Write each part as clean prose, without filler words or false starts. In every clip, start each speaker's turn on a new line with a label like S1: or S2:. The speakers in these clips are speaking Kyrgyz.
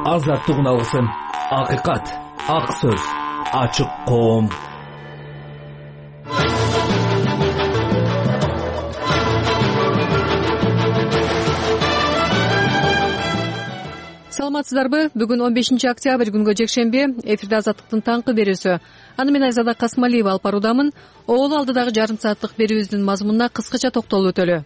S1: азаттыгын алсын. Акыйкат, ак сөз, ачык коом.
S2: Саламатсыздарбы? Бүгүн 15 октябрь күнгө жекшемби. Эфирде азаттыктын таңкы берүүсү. Аны мен Айзада Касмалиева алып баруудамын. Оолу алдыдагы жарым сааттык берүүбүздүн мазмунуна кыскача токтолуп өтөлү.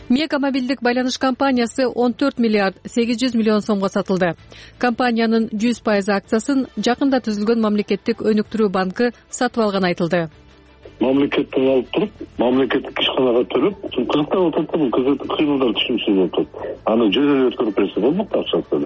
S2: Мега мобилдик байланыш компаниясы 14 миллиард 800 миллион сомго сатылды. Компаниянын 100% акциясын жакында түзүлгөн мамлекеттик өнүктүрүү банкы сатып алганы айтылды.
S3: Мамлекеттен алып туруп, мамлекеттик ишканага төлөп, кызыктап атат да, бул кыймылдар түшүнүксүз атат. Аны жөнөкөй өткөрүп берсе болмок акчасы.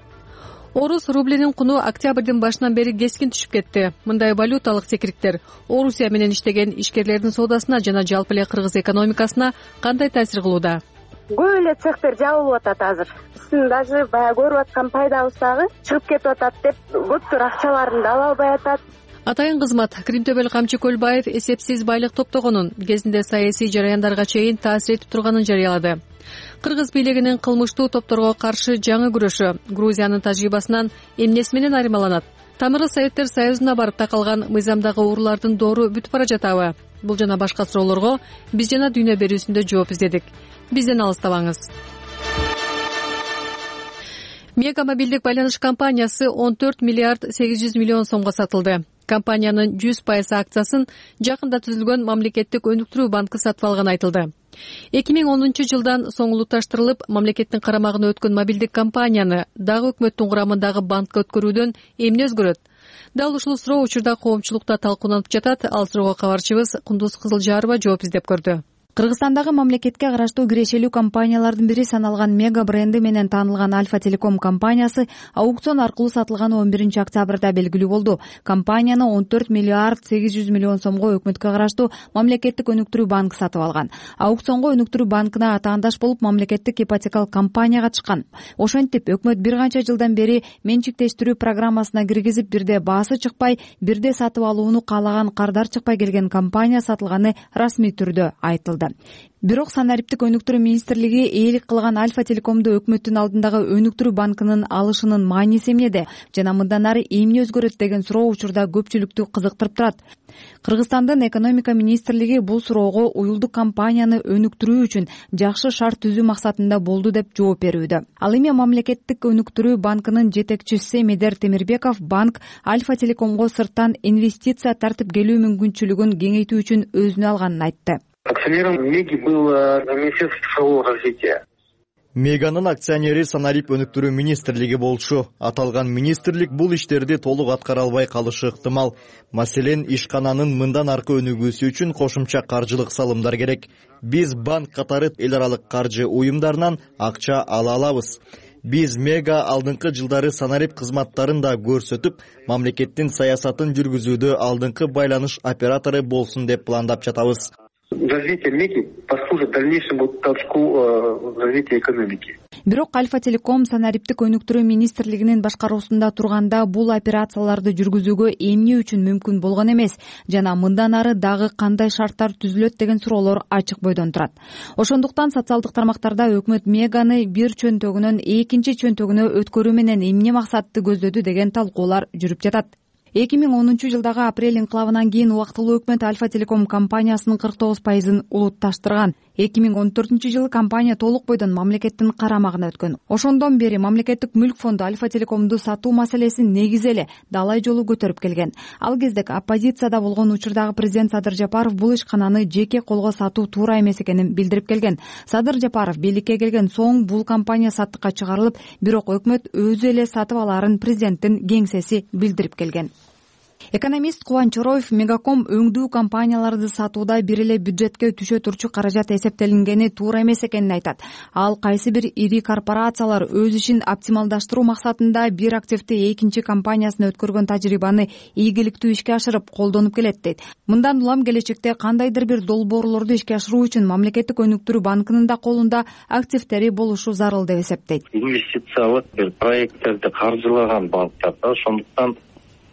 S2: Орус рублинин куну октябрдын башынан бери кескин түшүп кетти. Мындай валюталык секириктер Орусия менен иштеген ишкерлердин соодасына жана жалпы эле кыргыз экономикасына кандай таасир кылууда?
S4: Көп эле цехтер жабылып атат азыр. Биздин даже баягы көрүп аткан пайдабыз дагы чыгып кетип атат деп көптөр акчаларын да ала албай атат.
S2: Атайын кызмат Кримтөбөл Камчы Көлбаев эсепсиз байлык топтогонун, кезинде саясий жараяндарга чейин таасир этип турганын жарыялады. Кыргыз бийлигинин кылмыштуу топторго каршы жаңы күрөшү Грузиянын тажрыйбасынан эмнеси менен айырмаланат? Тамыры Советтер Союзуна барып такалган мыйзамдагы уурулардын доору бүтүп бара жатабы? Бул жана башка суроолорго биз жана дүйнө берүүсүндө жооп издедик. Бизден алыстабаңыз. Мега мобилдик байланыш компаниясы 14 миллиард 800 миллион сомго сатылды. Компаниянын 100% акциясын жакында түзүлгөн мамлекеттик өнүктүрүү банкы сатып алганы айтылды. 2010 жылдан соңулукташтырылып, мамлекеттин карамагына өткөн мобилдик компанияны дагы өкмөттүн курамындагы банкка өткөрүүдөн эмне өзгөрөт? Дал ушул суроо учурда коомчулукта талкууланып жатат. Ал суроого кабарчыбыз Кундуз Кызылжарова жооп издеп көрдү.
S5: Кыргызстандагы мамлекетке караштуу кирешелүү компаниялардын бири саналган Мега бренди менен таанылган Альфа Телеком компаниясы аукцион аркылуу сатылганы 11 октябрда белгилүү болду. Компанияны 14 миллиард 800 миллион сомго өкмөткө караштуу мамлекеттик өнүктүрүү банкы сатып алган. Аукционго өнүктүрүү банкына атаандаш болуп мамлекеттик ипотекалык компания катышкан. Ошентип өкмөт бир канча жылдан бери менчиктештирүү программасына киргизип, бирде баасы чыкпай, бирде сатып алууну каалаган кардар чыкпай келген компания сатылганы расмий түрдө айтылды. Бирок Санариптик өнүктүрүү министрлиги ээлик кылган Альфа Телекомду өкмөттүн алдындагы өнүктүрүү банкынын алышынын мааниси эмнеде жана мындан ары эмне өзгөрөт деген суроо учурда көпчүлүктү кызыктырып турат. Кыргызстандын экономика министрлиги бул суроого уюлдук компанияны өнүктүрүү үчүн жакшы шарт түзүү максатында болду деп жооп берүүдө. Ал эми мамлекеттик өнүктүрүү банкынын жетекчиси Медер Темирбеков банк Альфа Телекомго сырттан инвестиция тартып келүү мүмкүнчүлүгүн кеңейтүү үчүн өзүнө алганын айтты.
S3: Акционером Меги было Министерство цифрового развития.
S6: Меганын акционери Санарип өнүктүрүү министрлиги болчу. Аталган министрлик бул иштерди толук аткара албай калышы ыктымал. Маселен, ишкананын мындан аркы өнүгүүсү үчүн кошумча каржылык салымдар керек. Биз банк катары эл аралык каржы уюмдарынан акча ала алабыз. Биз Мега алдыңкы жылдары Санарип кызматтарын да көрсөтүп, мамлекеттин саясатын жүргүзүүдө алдыңкы байланыш оператору болсун деп пландап жатабыз.
S3: Развитие Меги послужит дальнейшему толчку развития экономики.
S5: Бирок Альфа Телеком Санариптик өнүктүрүү министрлигинин башкаруусунда турганда бул операцияларды жүргүзүүгө эмне үчүн мүмкүн болгон эмес жана мындан ары дагы кандай шарттар түзүлөт деген суроолор ачык бойдон турат. Ошондуктан социалдык тармактарда өкмөт Меганы бир чөнтөгүнөн экинчи чөнтөгүнө өткөрүү менен эмне максатты көздөдү деген талкуулар жүрүп жатат. 2010 жылдагы апрель инкылабынан кийин убактылуу өкмөт Альфа Телеком компаниясынын 49%-ын улутташтырган. 2014 жылы компания толук бойдон мамлекеттин карамагына өткөн. Ошондон бери мамлекеттик мүлк фонду Альфа Телекомду сатуу маселесин негизи эле далай жолу көтөрүп келген. Ал кезде оппозицияда болгон учурдагы президент Садыр Жапаров бул ишкананы жеке колго сатуу туура эмес экенин билдирип келген. Садыр Жапаров бийликке келген соң бул компания саттыкка чыгарылып, бирок өкмөт өзү эле сатып алаарын президенттин кеңсеси билдирип келген. Экономист Кубан Чороев Мегаком өңдүү компанияларды сатууда бир эле бюджетке түшө турчу каражат эсептелингени туура эмес экенин айтат. Ал кайсы бир ири корпорациялар өз ишин оптималдаштыруу максатында бир активди экинчи компаниясына өткөргөн тажрыйбаны ийгиликтүү ишке ашырып колдонуп келет дейт. Мындан улам келечекте кандайдыр бир долбоорлорду ишке ашыруу үчүн мамлекеттик өнүктүрүү банкынын да колунда активдери болушу зарыл деп эсептейт.
S3: Инвестициялык бир проекттерди каржылаган банктар да, ошондуктан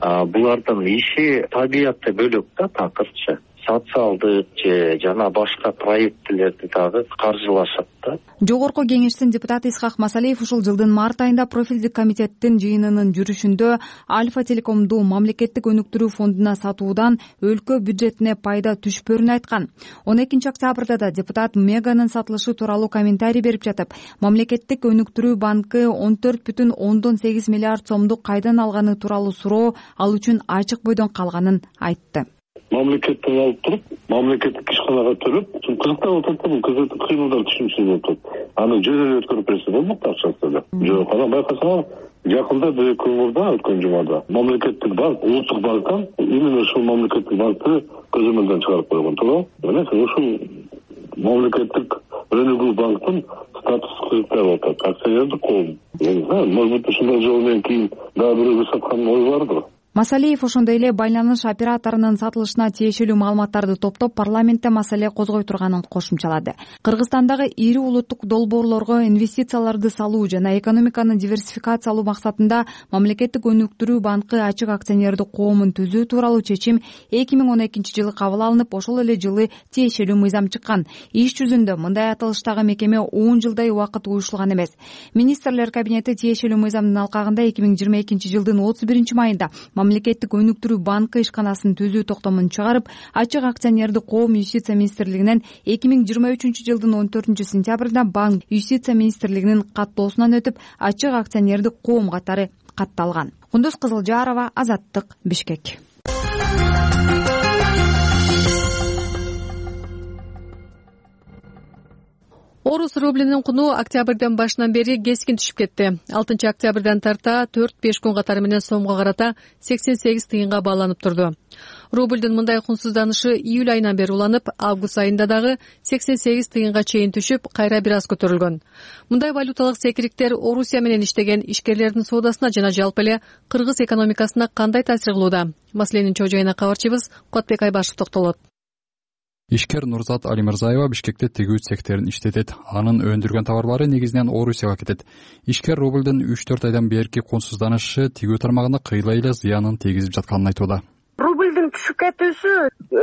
S3: булардын иши табиятты бөлөк да, такырчы. социалдык же жана башка проектилерди дагы каржылашат да.
S5: Жогорку кеңештин депутаты Исхак Масалиев ушул жылдын март айында профилдик комитеттин жыйынынын жүрүшүндө Альфа Телекомду мамлекеттик өнүктүрүү фондуна сатуудан өлкө бюджетине пайда түшпөрүн айткан. 12 октябрда да депутат Меганын сатылышы тууралуу комментарий берип жатып, мамлекеттик өнүктүрүү банкы 14,8 миллиард сомду кайдан алганы тууралуу суроо ал үчүн ачык бойдон калганын айтты.
S3: Мамлекеттен алып туруп, мамлекеттик ишканага төлөп, кызыктап атат да, бул кызыктуу кыймылдар түшүнүксүз өтөт. Аны жөнөдө өткөрүп берсе болмок акчасы эле. Жок, анан байкасаңар, жакында бир көмүрдө өткөн жумада мамлекеттик банк, улуттук банктан именно ушул мамлекеттик банкты көзөмөлдөн чыгарып койгон, туура. Мына ушул мамлекеттик өнүгүү банктын статусу кызыктап атат. Акционердик коом. Может быть, ушундай жол менен кийин дагы бирөөгө саткан ой бардыр.
S5: Масалиев ошондой эле байланыш операторунун сатылышына тиешелүү маалыматтарды топтоп парламентте маселе козгой турганын кошумчалады. Кыргызстандагы ири улуттук долбоорлорго инвестицияларды салуу жана экономиканы диверсификациялоо максатында мамлекеттик өнүктүрүү банкы ачык акционердик коомун түзүү тууралуу чечим 2012 жылы кабыл алынып, ошол эле жылы тиешелүү мыйзам чыккан. Иш жүзүндө мындай аталыштагы мекеме 10 жылдай убакыт уюшулган эмес. Министрлер кабинети тиешелүү мыйзамдын алкагында 2022 жылдын 31 майында мамлекеттик өнүктүрүү банкы ишканасын түзүү токтомун чыгарып, ачык акционердик коом Юстиция министрлигинен 2023 жылдын 14 сентябрында банк Юстиция министрлигинин каттоосунан өтүп, ачык акционердик коом катары катталган. Кундуз Кызылжарова, Азаттык, Бишкек.
S2: Орус рублинин куну октябрдын башынан бери кескин түшүп кетти. 6 октябрдан тарта 4-5 күн катары менен сомго карата 88 тыйынга бааланып турду. Рубльдин мындай кунсузданышы июль айынан бери уланып, август айында дагы 88 тыйынга чейин түшүп, кайра бир аз көтөрүлгөн. Мындай валюталык секириктер Орусия менен иштеген ишкерлердин соодасына жана жалпы эле кыргыз экономикасына кандай таасир кылууда? Маселенин чоо-жайына кабарчыбыз Котбек Айбашев токтолот.
S7: Ишкер Нурзат Алимырзаева Бишкекте тигүү цехтерин иштетет. Анын өндүргөн товарлары негизинен Орусияга кетет. Ишкер рубльдин 3-4 айдан берки кунсузданышы тигүү тармагына кыйла эле зыянын тийгизип жатканын айтууда.
S4: Рубльдин түшүп кетүүсү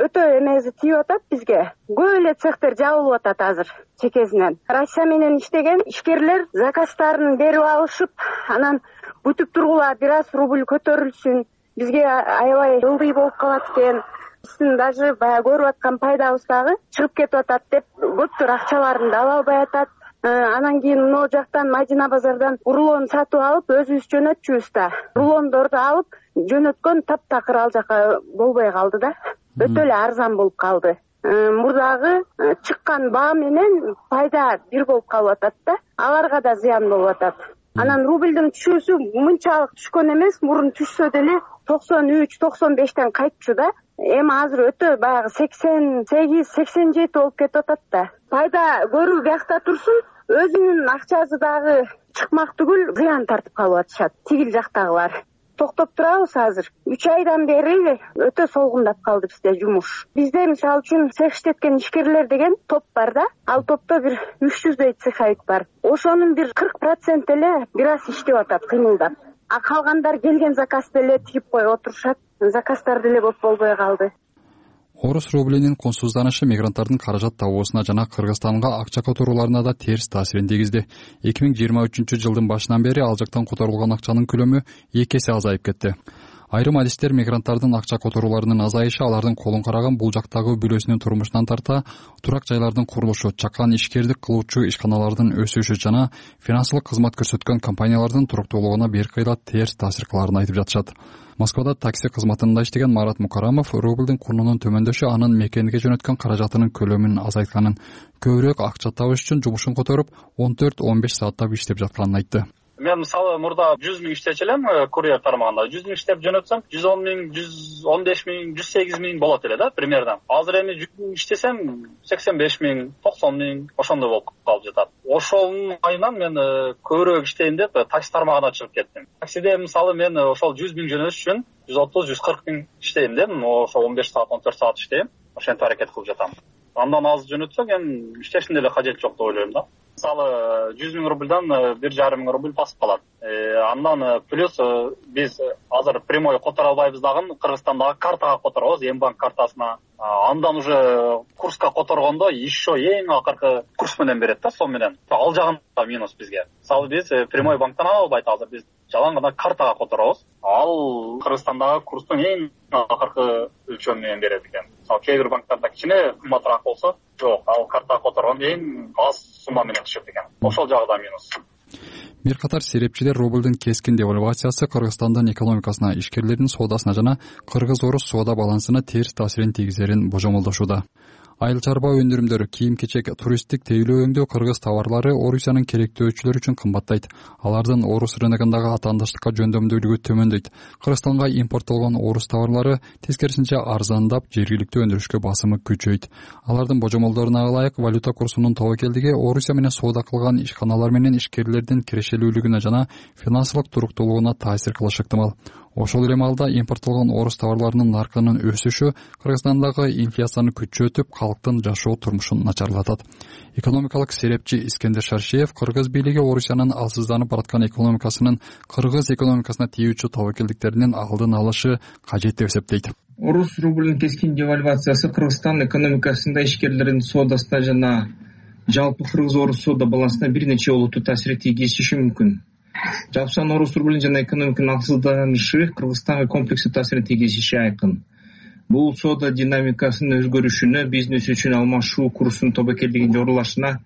S4: өтө эмеси тийип атат бизге. Көп эле цехтер жабылып атат азыр чекесинен. Россия менен иштеген ишкерлер заказдарын берип алышып, анан бүтүп тургула бир аз рубль көтөрүлсүн, бизге аябай ылдый болуп калат экен. Биздин даже баягы көрүп аткан пайдабыз дагы чыгып кетип атат деп көптөр акчаларын да ала албай атат. Анан кийин могу жактан Мадина базардан рулон сатып алып, өзүбүз жөнөтчүбүз да. Рулондорду алып жөнөткөн таптакыр ал жака болбой калды да. Өтө эле арзан болуп калды. Мурдагы чыккан баа менен пайда бир болуп калып атат да. Аларга да зыян болуп атат. Анан рубльдин түшүүсү мынчалык түшкөн эмес, мурун түшсө деле 93-95тен кайтчу да. Эми азыр өтө баягы 88-87 болуп кетип атат да. Пайда көрүү биякта турсун, өзүнүн акчасы дагы чыкмак түгүл зыян тартып калып атышат тигил жактагылар. Токтоп турабыз азыр. 3 айдан бери өтө солгундап калды бизде жумуш. Бизде мисалы үчүн цех иштеткен ишкерлер деген топ бар да. Ал топто бир 300дөй цеховик бар. Ошонун бир 40% эле бир аз иштеп атат, кыймылдап. А калгандар келген заказды эле тигип коюп отурушат. Заказдар деле көп болбой калды.
S7: Орус рублинин кунсузданышы мигранттардын каражат табуусуна жана Кыргызстанга акча которууларына да терс таасирин тийгизди. 2023 жылдын башынан бери ал жактан которулган акчанын көлөмү 2 эсе азайып кетти. Айрым адистер мигранттардын акча которууларынын азайышы алардын колун караган бул жактагы бүлөсүнүн турмушунан тарта турак жайлардын курулушу, чакан ишкердик кылуучу ишканалардын өсүшү жана финансылык кызмат көрсөткөн компаниялардын туруктуулугуна бир кыйла терс таасир кыларын айтып жатышат. Москвада такси кызматында иштеген Марат Мукарамов рубльдин курунун төмөндөшү анын мекенге жөнөткөн каражатынын көлөмүн азайтканын, көбүрөөк акча табыш үчүн жумушун которуп 14-15 сааттап иштеп жатканын айтты.
S8: Мен мисалы мурда 100 миң иштечү элем курьер тармагында. 100 миң иштеп жөнөтсөм 110 миң, 115 миң, 108 миң болот эле да примерно. Азыр эми 100 миң иштесем 85 миң, 90 миң ошондой болуп калып жатат. Ошонун айынан мен көбүрөөк иштейин деп такси тармагына чыгып кеттим. Таксиде мисалы мен ошол 100 миң жөнөтүш үчүн 130-140 миң иштейм деп, ошо 15 саат, 14 саат иштейм. Ошентип аракет кылып жатам. Андан аз жөнөтсөк эми иштештин деле кажети жок деп ойлойм да. Мисалы 100 миң рубльдан 1,5 миң рубль басып калат. Андан плюс биз азыр прямой которо албайбыз дагы, Кыргызстандагы картага которобуз, Мбанк картасына. Андан уже курска которгондо еще эң акыркы курс менен берет да, сом менен. Ал жагында минус бизге. Мисалы биз прямой банктан ала албайт азыр, биз жалаң гана картага которобуз. Ал Кыргызстандагы курстун эң акыркы өлчөмү менен берет экен. Мисалы кээ бир банктарда кичине кымбатыраак болсо, жок, ал картага которгондо эң аз сумма менен түшөт экен. Ошол жагы да минус.
S7: Бир катар серепчилер рублдун кескин девальвациясы Кыргызстандын экономикасына, ишкерлердин соодасына жана кыргыз-орус соода балансына терс таасирин тийгизерин божомолдошууда. Айыл чарба өндүрүмдөрү, кийим-кечек, туристтик тейлөө өңдөө кыргыз товарлары Орусиянын керектөөчүлөрү үчүн кымбаттайт. Алардын орус рыногундагы атаандыштыкка жөндөмдүүлүгү төмөндөйт. Кыргызстанга импорттолгон орус товарлары тескерисинче арзандап, жергиликтүү өндүрүшкө басымы күчөйт. Алардын божомолдоруна ылайык валюта курсунун тобокелдиги Орусия менен соода кылган ишканалар менен ишкерлердин кирешелүүлүгүнө жана финансылык туруктуулугуна таасир кылышы ыктымал. Ошол эле маалда импорттолгон орус товарларынын наркынын өсүшү Кыргызстандагы инфляцияны күчөтүп, калктын жашоо турмушун начарлатат. Экономикалык серепчи Искендер Шаршеев кыргыз бийлиги Орусиянын алсызданып бараткан экономикасынын кыргыз экономикасына тийүүчү тобокелдиктеринин алдын алышы кажет деп эсептейт.
S9: Орус рублинин кескин девальвациясы Кыргызстан экономикасында ишкерлердин соодасына жана жалпы кыргыз-орус соода балансына бир нече олуттуу таасир тийгизиши мүмкүн. Жалпысынан орус рублин жана экономиканын алсызданышы Кыргызстанга комплекстүү таасирин тийгизиши айкын. Бул соода динамикасынын өзгөрүшүнө, бизнес үчүн алмашуу курсунун тобокелдигинин жогорулашына,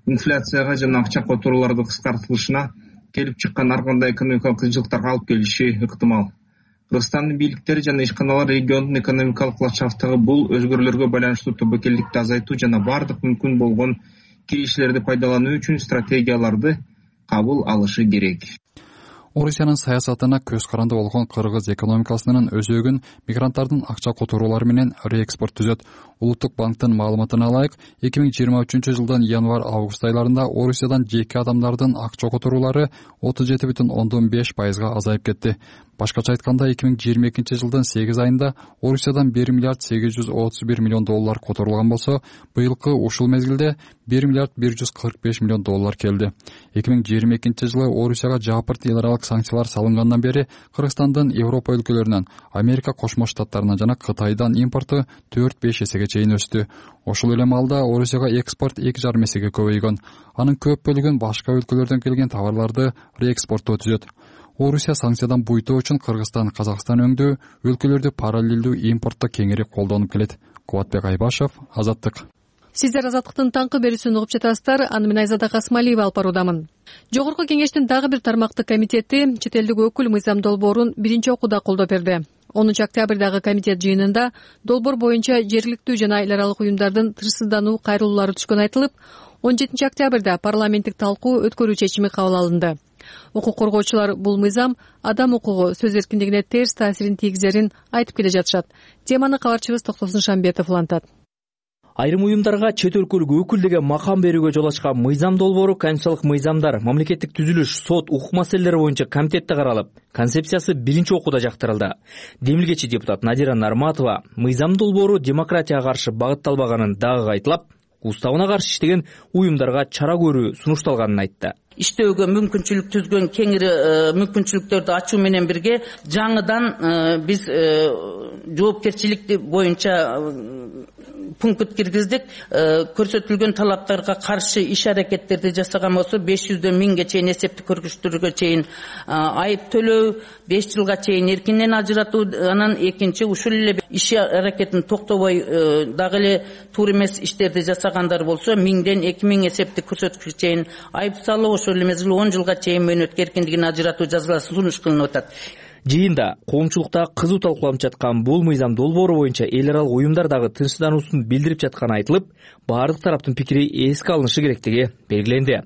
S9: инфляцияга жана акча которуулардын кыскартылышына келип чыккан ар кандай экономикалык кыйынчылыктарга алып келиши ыктымал. Кыргызстандын бийликтери жана ишканалар региондун экономикалык ландшафтындагы бул өзгөрүүлөргө байланыштуу тобокелдикти азайтуу жана бардык мүмкүн болгон кириштерди пайдалануу үчүн стратегияларды кабыл алышы керек.
S7: Орусиянын саясатына көз каранды болгон кыргыз экономикасынын өзөгүн мигранттардын акча которуулары менен реэкспорт түзөт. Улуттук банктын маалыматына ылайык, 2023-жылдын январь-август айларында Орусиядан жеке адамдардын акча которуулары 37,5%га азайып кетти. Башкача айтканда, 2022-жылдын 8 айында Орусиядан 1 миллиард 831 миллион доллар которулган болсо, быйылкы ушул мезгилде 1 миллиард 145 миллион доллар келди. 2022-жылы Орусияга жапырт эл аралык санкциялар салынгандан бери Кыргызстандын Европа өлкөлөрүнөн, Америка Кошмо Штаттарынан жана Кытайдан импорту 4-5 эсеге чейин өстү. Ошол эле маалда Орусияга экспорт 2,5 эсеге көбөйгөн. Анын көп бөлүгүн башка өлкөлөрдөн келген товарларды реэкспорттоо түзөт. Орусия санкциядан буйтоо үчүн Кыргызстан, Казакстан өңдүү өлкөлөрдү параллелдүү импортто кеңири колдонуп келет. Кубатбек Айбашев, Азаттык.
S2: Сиздер Азаттыктын таңкы берүүсүн угуп жатасыздар. Аны мен Айзада Касмалиева алып баруудамын. Жогорку кеңештин дагы бир тармактык комитети чет элдик өкүл Мыйзам Долбоорун биринчи окууда колдоо берди. 10 октябрдагы комитет жыйынында долбоор боюнча жергиликтүү жана эл аралык уюмдардын тынчсыздануу кайрылуулары түшкөнү айтылып, 17 октябрда парламенттик талкуу өткөрүү чечими кабыл алынды. Укук коргоочулар бул мыйзам адам укугу, сөз эркиндигине терс таасирин тийгизерин айтып келе жатышат. Теманы кабарчыбыз Токтосун Шамбетов улантат.
S1: Айрым уюмдарга чет өлкөлүк өкүл деген макам берүүгө жол ачкан мыйзам долбоору конституциялык мыйзамдар, мамлекеттик түзүлүш, сот, укук маселелери боюнча комитетте каралып, концепциясы биринчи окууда жактырылды. Демилгечи депутат Надира Нарматова мыйзам долбоору демократияга каршы багытталбаганын дагы кайталап, уставына каршы иштеген уюмдарга чара көрүү сунушталганын айтты.
S10: Иштөөгө мүмкүнчүлүк түзгөн кеңири мүмкүнчүлүктөрдү ачуу менен бирге жаңыдан биз жоопкерчилик боюнча пункт киргиздик. Көрсөтүлгөн талаптарга каршы иш аракеттерди жасаган болсо 500дөн 1000ге чейин эсептик көргүчтөргө чейин айып төлөө, 5 жылга чейин эркинен ажыратуу, анан экинчи ушул эле иш аракетин токтобой дагы эле туура эмес иштерди жасагандар болсо 1000ден 2000 эсептик көрсөткүчкө чейин айып салуу, ошол эле мезгил 10 жылга чейин мөөнөткө эркиндигин ажыратуу жазалары сунуш кылынып атат.
S1: Жыйында коомчулукта кызуу талкууланып жаткан бул мыйзам долбоору боюнча эл аралык уюмдар дагы тынчсыздануусун билдирип жатканы айтылып, баардык тараптын пикири эске алынышы керектиги белгиленди.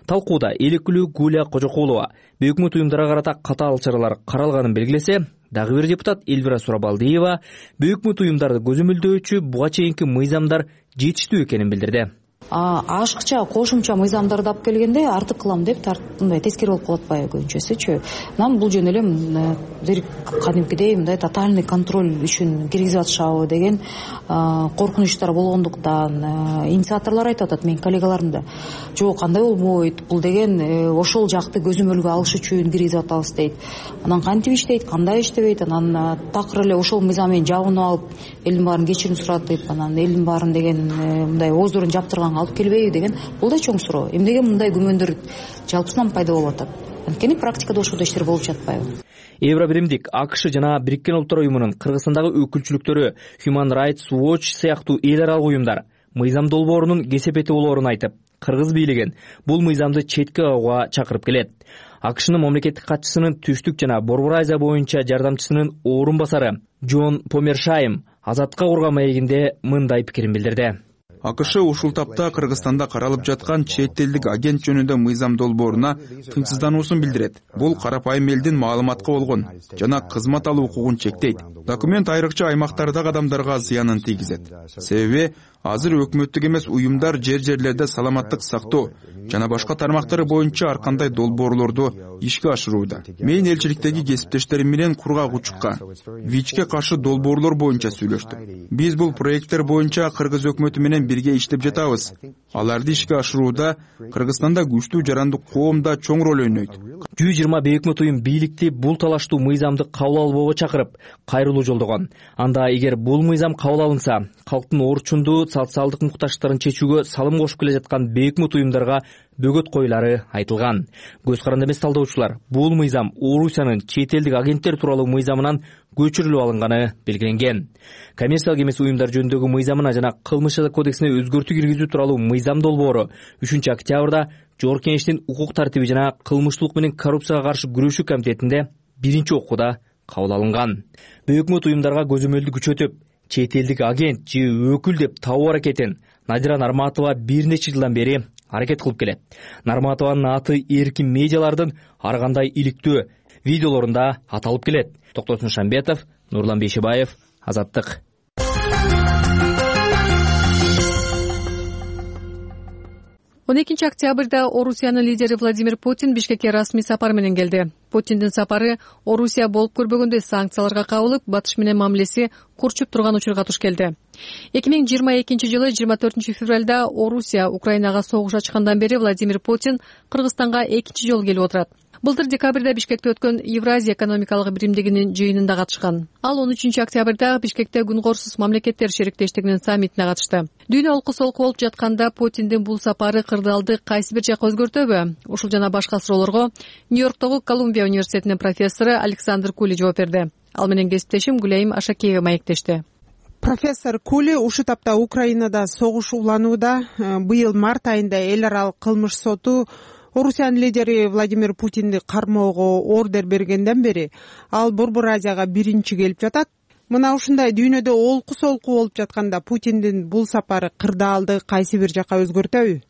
S1: Талкууда эл өкүлү Гуля Кожокулова өкмөт уюмдарга карата катаал чаралар каралганын белгилесе, дагы бир депутат Эльвира Сурабалдиева өкмөт уюмдарды көзөмөлдөөчү буга чейинки мыйзамдар жетиштүү экенин билдирди.
S5: Ашыкча кошумча мыйзамдарды алып келгенде артык кылам деп мындай тескери болуп калат атпайбы көбүнчөсүчү. Анан бул жөн эле кадимкидей мындай тотальный контроль үчүн киргизип атышабы деген коркунучтар болгондуктан инициаторлор айтып атат, менин коллегаларым да. Жок, андай болбойт. Бул деген ошол жакты көзөмөлгө алыш үчүн киргизип атабыз дейт. Анан кантип иштейт, кандай иштебейт, анан такыр эле ошол мыйзам менен жабынып алып элдин баарын кечирим суратып, анан элдин баарын деген мындай ооздорун жаптырганга алып келбейби деген бул да чоң суроо. Эмнеге мындай күмөндөр жалпысынан пайда болуп атат? Анткени практикада ошондой иштер болуп жатпайбы?
S1: Евробиримдик, АКШ жана Бириккен Улуттар уюмунун Кыргызстандагы өкүлчүлүктөрү Human Rights Watch сыяктуу эл аралык уюмдар мыйзам долбоорунун кесепети болоорун айтып, кыргыз бийлигин бул мыйзамды четке кагууга чакырып келет. АКШнын мамлекеттик катчысынын Түштүк жана Борбор Азия боюнча жардамчысынын орун басары Джон Помершайм Азатка курган маегинде мындай пикирин билдирди.
S11: АКШ ушул тапта Кыргызстанда каралып жаткан чет элдик агент жөнүндө мыйзам долбооруна тынчсыздануусун билдирет. Бул карапайым элдин маалыматка болгон жана кызмат алуу укугун чектейт. Документ айрыкча аймактардагы адамдарга зыянын тийгизет. Себеби азыр өкмөттүк эмес уюмдар жерлерде саламаттык сактоо жана башка тармактары боюнча ар кандай долбоорлорду ишке ашырууда. Мен элчиликтеги кесиптештерим менен кургак учукка, ВИЧке каршы долбоорлор боюнча сүйлөштүк. Биз бул проекттер боюнча кыргыз өкмөтү менен бирге иштеп жатабыз. Аларды ишке ашырууда Кыргызстанда күчтүү жарандык коом да чоң роль ойнойт.
S1: 120 өкмөт уюм бийликти бул талаштуу мыйзамды кабыл албоого чакырып, кайрылуу жолдогон. Анда эгер бул мыйзам кабыл алынса, калктын орчундуу социалдык муктаждыктарын чечүүгө салым кошуп келе жаткан бейөкмөт уюмдарга бөгөт коюлары айтылган. Көз каранды эмес талдоочулар, бул мыйзам Орусиянын чет элдик агенттер тууралуу мыйзамынан көчүрүлүп алынганы белгиленген. Коммерциялык эмес уюмдар жөнүндөгү мыйзамына жана кылмыш жаза кодексине өзгөртүү киргизүү тууралуу мыйзам долбоору 3-октябрда Жогорку Кеңештин укук тартиби жана кылмыштуулук менен коррупцияга каршы күрөшүү комитетинде биринчи окууда кабыл алынган. Бейөкмөт уюмдарга көзөмөлдү күчөтүп, чет элдик агент же өкүл деп табуу аракетин Надира Нарматова бир нече жылдан бери аракет кылып келет. Нарматованын аты эркин медиалардын ар кандай иликтөө видеолорунда аталып келет. Токтосун Шамбетов, Нурлан Бейшебаев, Азаттык.
S2: 12 октябрда Орусиянын лидери Владимир Путин Бишкекке расмий сапар менен келди. Путиндин сапары Орусия болуп көрбөгөндөй санкцияларга кабылып, Батыш менен мамилеси курчуп турган учурга туш келди. 2022 жылы 24 февралда Орусия Украинага согуш ачкандан бери Владимир Путин Кыргызстанга экинчи жолу келип отурат. Былтыр декабрда Бишкекте өткөн Евразия экономикалык биримдигинин жыйынында катышкан. Ал 13 октябрда Бишкекте күн-корсуз мамлекеттер шериктештигинин саммитине катышты. Дүйнө олку-солку болуп жатканда Путиндин бул сапары кырдаалды кайсы бир жакка өзгөртөбү? Ушул жана башка суроолорго Нью-Йорктогу Колумбия университетинин профессору Александр Кули жооп берди. Ал менен кесиптешим Гүлайым Ашакеева маектешти.
S12: Профессор Кули, ушул тапта Украинада согуш уланууда. Быйыл март айында эл аралык кылмыш соту Орусиянын лидери Владимир Путинди кармоого ордер бергенден бери ал Борбор Азияга биринчи келип жатат. Мына ушундай дүйнөдө олку-солку болуп жатканда Путиндин бул сапары кырдаалды кайсы бир жакка өзгөртөбү?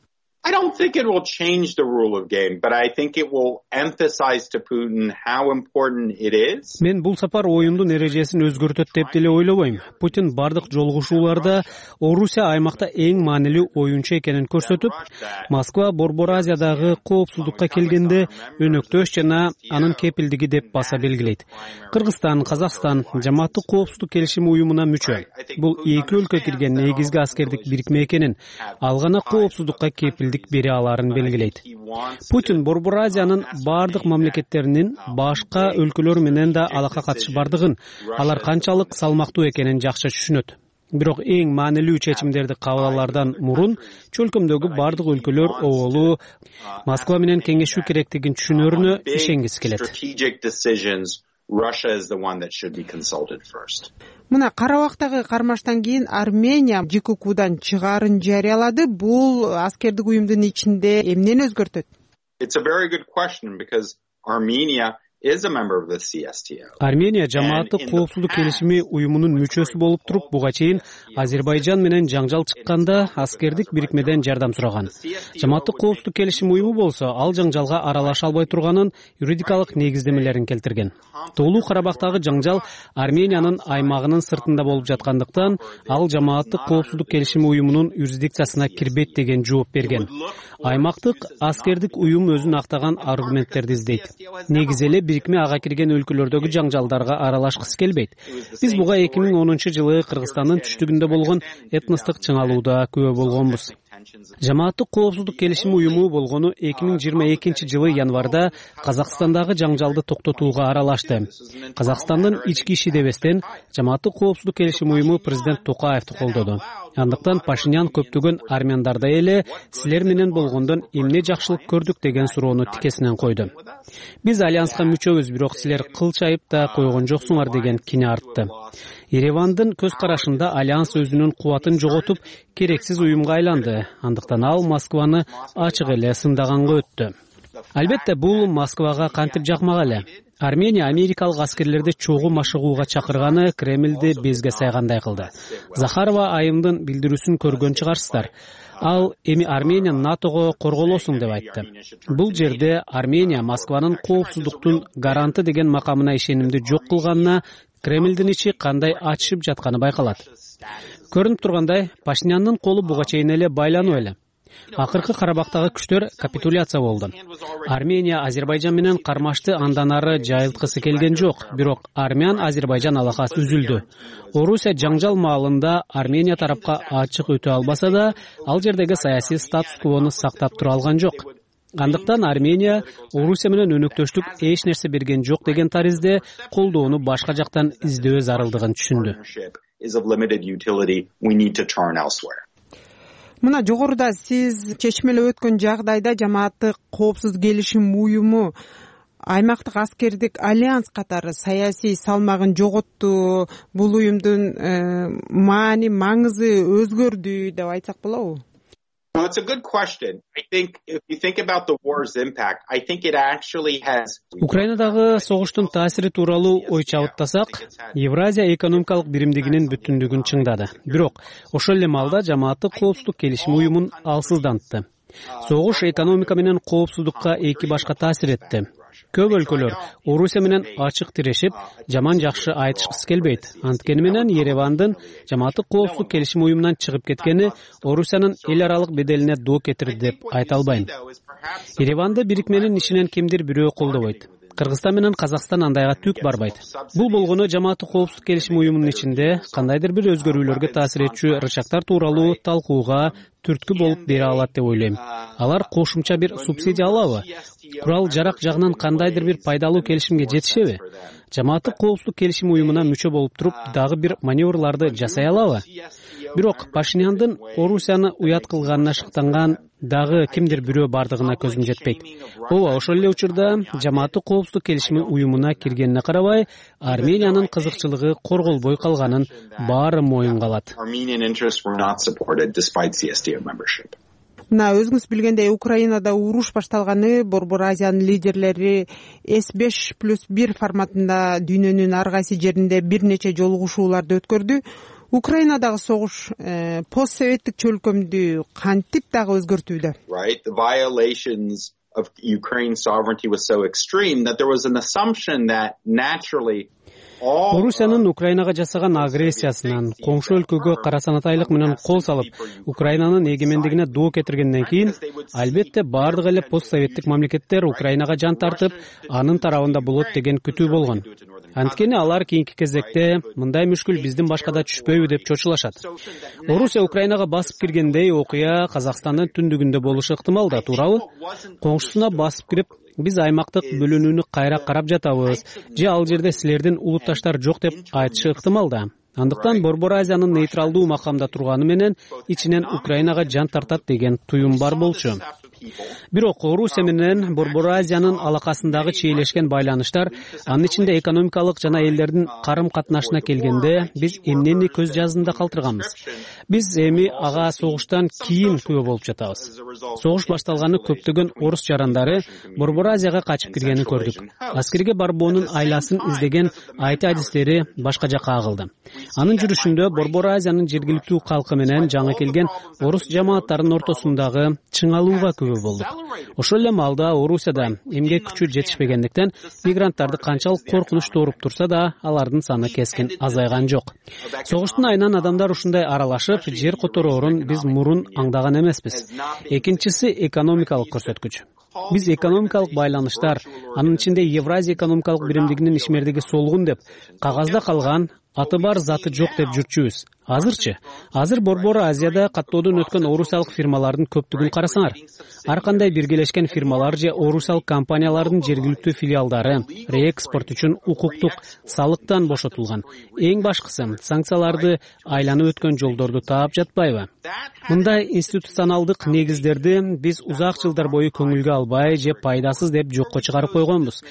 S13: I don't think it will change the rule of game, but I think it will emphasize to Putin how important it is.
S14: Мен бул сапар оюндун эрежесин өзгөртөт деп деле ойлобойм. Путин бардык жолугушууларда Орусия аймакта эң маанилүү оюнчу экенин көрсөтүп, Москва Борбор Азиядагы коопсуздукка келгенде өнөктөш жана анын кепилдиги деп баса белгилейт. Кыргызстан, Казакстан жамааттык коопсуздук келишими уюмуна мүчө. Бул эки өлкө кирген негизги аскердик бирикме экенин, ал гана коопсуздукка кепилдик бере аларын белгилейт. Путин Борбор Азиянын бардык мамлекеттеринин башка өлкөлөр менен да алака катышы бардыгын, алар канчалык салмактуу экенин жакшы түшүнөт. Бирок эң маанилүү чечимдерди кабыл алаардан мурун чөлкөмдөгү бардык өлкөлөр оболу Москва менен кеңешүү керектигин түшүнөрүнө ишенгиси келет.
S13: Russia is the one that should be consulted first.
S12: Мына Карабактагы кармаштан кийин Армения ЖККдан чыгаарын жарыялады. Бул аскердик уюмдун ичинде эмнени өзгөртөт?
S13: It's a very good question because Armenia is a member of the CSTO.
S14: Армения жамааттык коопсуздук келишими уюмунун мүчөсү болуп туруп, буга чейин Азербайжан менен жаңжал чыкканда аскердик бирикмеден жардам сураган. Жамааттык коопсуздук келишим уюму болсо ал жаңжалга аралаша албай турганын юридикалык негиздемелерин келтирген. Тоолуу Карабактагы жаңжал Армениянын аймагынын сыртында болуп жаткандыктан ал жамааттык коопсуздук келишими уюмунун юрисдикциясына кирбейт деген жооп берген. Аймактык аскердик уюм өзүн актаган аргументтерди издейт. Негизи эле бирикме ага кирген өлкөлөрдөгү жаңжалдарга аралашкысы келбейт. Биз буга 2010-жылы Кыргызстандын түштүгүндө болгон этностук чыңалууда күбө болгонбуз. Жамааттык коопсуздук келишими уюму болгону 2022-жылы январда Казакстандагы жаңжалды токтотууга аралашты. Казакстандын ички иши дебестен жамааттык коопсуздук келишими уюму президент Токаевди колдоду. Андыктан Пашинян көптөгөн армяндардай эле силер менен болгондон эмне жакшылык көрдүк деген суроону тикесинен койду. Биз альянска мүчөбүз, бирок силер кыл чайып да койгон жоксуңар деген кине артты. Еревандын көз карашында альянс өзүнүн кубатын жоготуп, керексиз уюмга айланды. Андыктан ал Москваны ачык эле сындаганга өттү. Албетте бул Москвага кантип жакмак эле. Армения америкалык аскерлерди чогуу машыгууга чакырганы Кремлди безге сайгандай кылды. Захарова айымдын билдирүүсүн көргөн чыгарсыздар. Ал эми Армения НАТОго корголосуң деп айтты. Бул жерде Армения Москванын коопсуздуктун гаранты деген макамына ишенимди жок кылганына Кремлдин ичи кандай ачышып жатканы байкалат. Көрүнүп тургандай, Пашинянын колу буга чейин эле байлануу эле. Акыркы Карабактагы күчтөр капитуляция болду. Армения Азербайжан менен кармашты андан ары жайылткысы келген жок, бирок Армян-Азербайжан алакасы үзүлдү. Орусия жаңжал маалында Армения тарапка ачык өтө албаса да, ал жердеги саясий статус-квону сактап тура алган жок. Андыктан Армения Орусия менен өнөктөштүк эч нерсе берген жок деген таризде колдоону башка жактан издөө зарылдыгын түшүндү.
S12: Мына жогоруда сиз чечмелеп өткөн жагдайда жамааттык коопсуздук келишим уюму аймактык аскердик альянс катары саясий салмагын жоготту, бул уюмдун маңызы өзгөрдү деп айтсак болобу?
S13: Well, it's a good question. I think if you think about the war's impact, I think it actually has.
S14: Украинадагы согуштун таасири тууралуу ой чабыттасак, Евразия экономикалык биримдигинин бүтүндүгүн чыңдады. Бирок ошол эле маалда жамааттык коопсуздук келишим уюмун алсыздантты. Согуш экономика менен коопсуздукка эки башка таасир этти. Көп өлкөлөр Орусия менен ачык тирешип, жаман жакшы айтышкысы келбейт. Анткени менен Еревандын жамааттык коопсуздук келишим уюмунан чыгып кеткени Орусиянын эл аралык беделине доо кетирди деп айта албайм. Ереванды бирикменин ишинен кимдир бирөө колдобойт. Кыргызстан менен Казакстан андайга түк барбайт. Бул болгону жамааттык коопсуздук келишим уюмунун ичинде кандайдыр бир өзгөрүүлөргө таасир этчү рычагтар тууралуу талкууга түрткү болуп бере алат деп ойлойм. Алар кошумча бир субсидия алабы? Курал жарак жагынан кандайдыр бир пайдалуу келишимге жетишеби? Жамааттык коопсуздук келишим уюмуна мүчө болуп туруп, дагы бир маневрларды жасай алабы? Бирок Пашиняндын Орусияны уят кылганына шыктанган дагы кимдир бирөө бардыгына көзүм жетпейт. Ооба, ошол эле учурда жамааттык коопсуздук келишими уюмуна киргенине карабай, Армениянын кызыкчылыгы корголбой калганын баары моюнга алат.
S12: Мына өзүңүз билгендей, Украинада уруш башталганы Борбор Азиянын лидерлери S5+1 форматында дүйнөнүн ар кайсы жеринде бир нече жолугушууларды өткөрдү. Украинадагы согуш постсоветтик чөлкөмдү кантип дагы өзгөртүүдө?
S13: Right, the violations of Ukraine's sovereignty was so extreme that there was an assumption that naturally
S14: Орусиянын Украинага жасаган агрессиясынан, коңшу өлкөгө карасанатайлык менен кол салып, Украинанын эгемендигине доо кетиргенден кийин, албетте бардык эле постсоветтик мамлекеттер Украинага жан тартып, анын тарабында болот деген күтүү болгон. Анткени алар кийинки кезекте мындай мүшкүл биздин башкада түшпөйбү деп чочулашат. Орусия Украинага басып киргендей окуя Казакстандын түндүгүндө болушу ыктымал да, туурабы? Коңшусуна басып кирип, биз аймактык бөлүнүүнү кайра карап жатабыз, же ал жерде силердин улутташтар жок деп айтышы ыктымал да. Андыктан Борбор Азиянын нейтралдуу макамда турганы менен ичинен Украинага жан тартат деген туюм бар болчу. Бирок Орусия менен Борбор Азиянын алакасындагы чийлешкен байланыштар, анын ичинде экономикалык жана элдердин карым катнашына келгенде биз эмнени көз жазында калтырганбыз. Биз эми ага согуштан кийин күбө болуп жатабыз. Согуш башталганы көптөгөн орус жарандары Борбор Азияга качып киргенин көрдүк. Аскерге барбоонун айласын издеген айти адистери башка жакка агылды. Анын жүрүшүндө Борбор Азиянын жергиликтүү калкы менен жаңы келген орус жамааттарынын ортосундагы чыңалууга күбө болдук. Ошол эле маалда Орусияда эмгек күчү жетишпегендиктен мигранттарды канчалык коркунуч тооруп турса да, алардын саны кескин азайган жок. Согуштун айынан адамдар ушундай аралашып, жер котороорун биз мурун аңдаган эмеспиз. Экинчиси экономикалык көрсөткүч. Биз экономикалык байланыштар, анын ичинде Евразия экономикалык биримдигинин ишмердиги солгун деп, кагазда калган, аты бар заты жок деп жүрчүбүз. Азыр Борбор Азияда каттоодон өткөн орусиялык фирмалардын көптүгүн карасаңар, ар кандай биргелешкен фирмалар же орусиялык компаниялардын жергиликтүү филиалдары реэкспорт үчүн укуктук салыктан бошотулган. Эң башкысы, санкцияларды айланып өткөн жолдорду таап жатпайбы? Мындай институционалдык негиздерди биз узак жылдар бою көңүлгө албай же пайдасыз деп жокко чыгарып койгонбуз.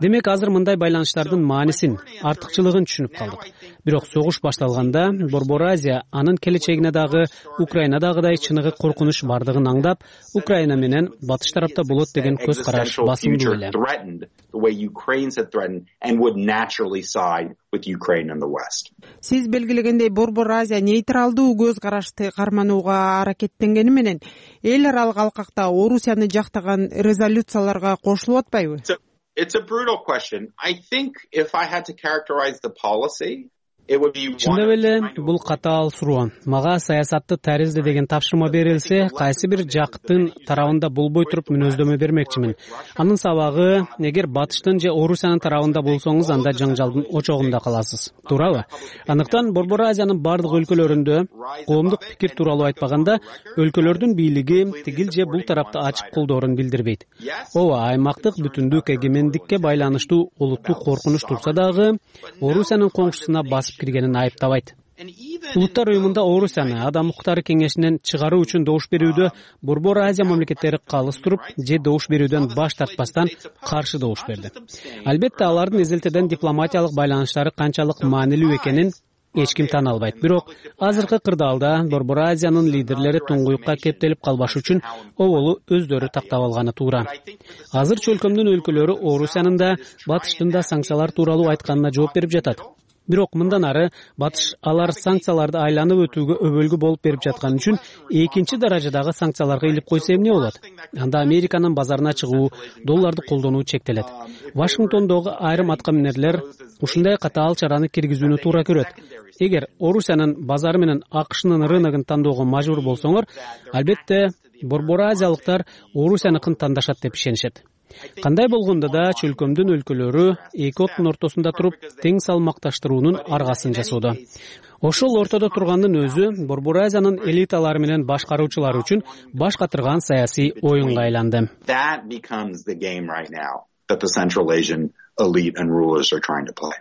S14: Демек азыр мындай байланыштардын маанисин, артыкчылыгын түшүнүп калдык. Бирок согуш башталганда Борбор Азия анын келечегине дагы Украинадагыдай чыныгы коркунуч бардыгын аңдап, Украина менен батыш тарапта болот деген көз караш басымдуу эле.
S12: Сиз белгилегендей Борбор Азия нейтралдуу көз карашты карманууга аракеттенгени менен эл аралык алкакта Орусияны жактаган резолюцияларга кошулуп атпайбы?
S13: It's a brutal question. I think if I had to characterize the policy,
S14: Чындап эле бул катаал суроо. Мага саясатты таризде деген тапшырма берилсе, кайсы бир жактын тарабында болбой туруп мүнөздөмө бермекчимин. Анын сабагы, эгер батыштын же Орусиянын тарабында болсоңуз, анда жаңжалдын очогунда каласыз. Туурабы? Андыктан Борбор Азиянын бардык өлкөлөрүндө коомдук пикир тууралуу айтпаганда, өлкөлөрдүн бийлиги тигил же бул тарапты ачык колдоорун билдирбейт. Ооба, аймактык бүтүндүк эгемендикке байланыштуу олуттуу коркунуч турса дагы, Орусиянын коңшусуна басып киргенин айыптабайт. Улуттар уюмунда Орусияны Адам укуктары кеңешинен чыгаруу үчүн добуш берүүдө Борбор Азия мамлекеттери калыс туруп, же добуш берүүдөн баш тартпастан каршы добуш берди. Албетте алардын изилтеден дипломатиялык байланыштары канчалык маанилүү экенин эч ким тана албайт. Бирок азыркы кырдаалда Борбор Азиянын лидерлери туңгуюкка кептелип калбаш үчүн оболу өздөрү тактап алганы туура. Азыр чөлкөмдүн өлкөлөрү Орусиянын да, батыштын да санкциялар тууралуу айтканына жооп берип жатат. Бирок мындан ары батыш алар санкцияларды айланып өтүүгө өбөлгү болуп берип жаткан үчүн экинчи даражадагы санкцияларга илип койсо эмне болот? Анда Американын базарына чыгуу, долларды колдонуу чектелет. Вашингтондогу айрым аткаминерлер ушундай катаал чараны киргизүүнү туура көрөт. Эгер Орусиянын базары менен АКШнын рыногун тандоого мажбур болсоңор, албетте Борбор Азиялыктар Орусияныкын тандашат деп ишенишет. Кандай болгондо да чөлкөмдүн өлкөлөрү эки оттун ортосунда туруп тең салмакташтыруунун аргасын жасоодо. Ошол ортодо тургандын өзү Борбор Азиянын элиталары менен башкаруучулары үчүн баш катырган саясий оюнга айланды.
S13: That becomes the game right now that the Central Asian elite and rulers are trying to play.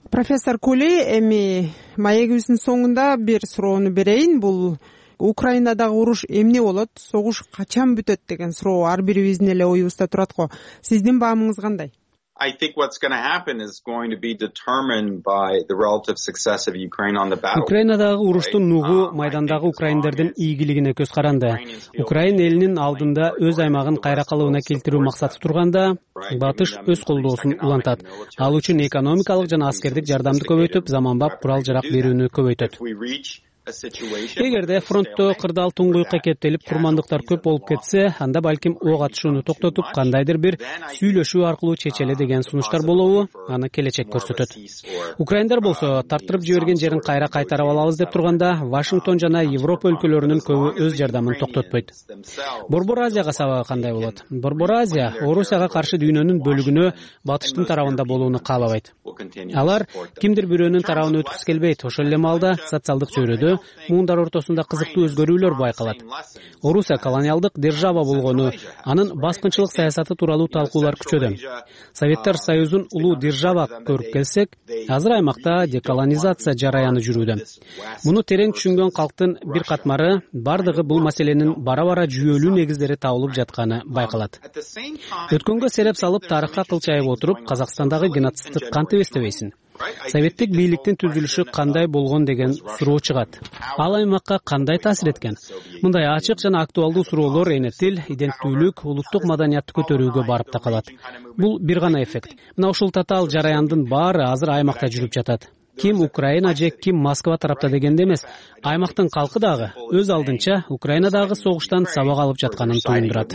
S12: Профессор Кули, эми маегибиздин соңунда бир суроону берейин. Бул Украинадагы уруш эмне болот, согуш качан бүтөт деген суроо ар бирибиздин эле оюбузда турат го. Сиздин баамыңыз кандай?
S13: I think what's going to happen is going to be determined by the relative success of Ukraine on the battlefield.
S14: Украинадагы уруштун нугу майдандагы украиндердин ийгилигине көз каранды. Украин элинин алдында өз аймагын кайра калыбына келтирүү максаты турганда, батыш өз колдоосун улантат. Ал үчүн экономикалык жана аскердик жардамды көбөйтүп, заманбап курал-жарак берүүнү көбөйтөт. Эгерде фронтто кырдаал туңгуюкка кептелип, курмандыктар көп болуп кетсе, анда балким ок атышууну токтотуп, кандайдыр бир сүйлөшүү аркылуу чечеле деген сунуштар болобу, аны келечек көрсөтөт. Украиндар болсо, тарттырып жиберген жерин кайра кайтарып алабыз деп турганда, Вашингтон жана Европа өлкөлөрүнүн көбү өз жардамын токтотпойт. Борбор Азияга сабагы кандай болот? Борбор Азия Орусияга каршы дүйнөнүн бөлүгүнө батыштын тарабында болууну каалабайт. Алар кимдир бирөөнүн тарабына өткүсү келбейт. Ошол эле маалда социалдык чөйрөдө өткөрүлгөнү муундар ортосунда кызыктуу өзгөрүүлөр байкалат. Орусия колониалдык держава болгону, анын баскынчылык саясаты тууралуу талкуулар күчөдө. Советтер Союзун улуу держава көрүп келсек, азыр аймакта деколонизация жараяны жүрүүдө. Муну терең түшүнгөн калктын бир катмары бардыгы бул маселенин бара-бара жүйөлүү негиздери табылып жатканы байкалат. Өткөнгө сереп салып тарыхка кылчайып отуруп, Казакстандагы геноцидти кантип эстебейсиң? Советтик бийликтин түзүлүшү кандай болгон деген суроо чыгат. Ал аймакка кандай таасир эткен? Мындай ачык жана актуалдуу суроолор эне тил, иденттүүлүк, улуттук маданиятты көтөрүүгө барып такалат. Бул бир гана эффект. Мына ушул татаал жараяндын баары азыр аймакта жүрүп жатат. Ким Украина же ким Москва тарапта дегенде эмес, аймактын калкы дагы өз алдынча Украинадагы согуштан сабак алып жатканын туюндурат.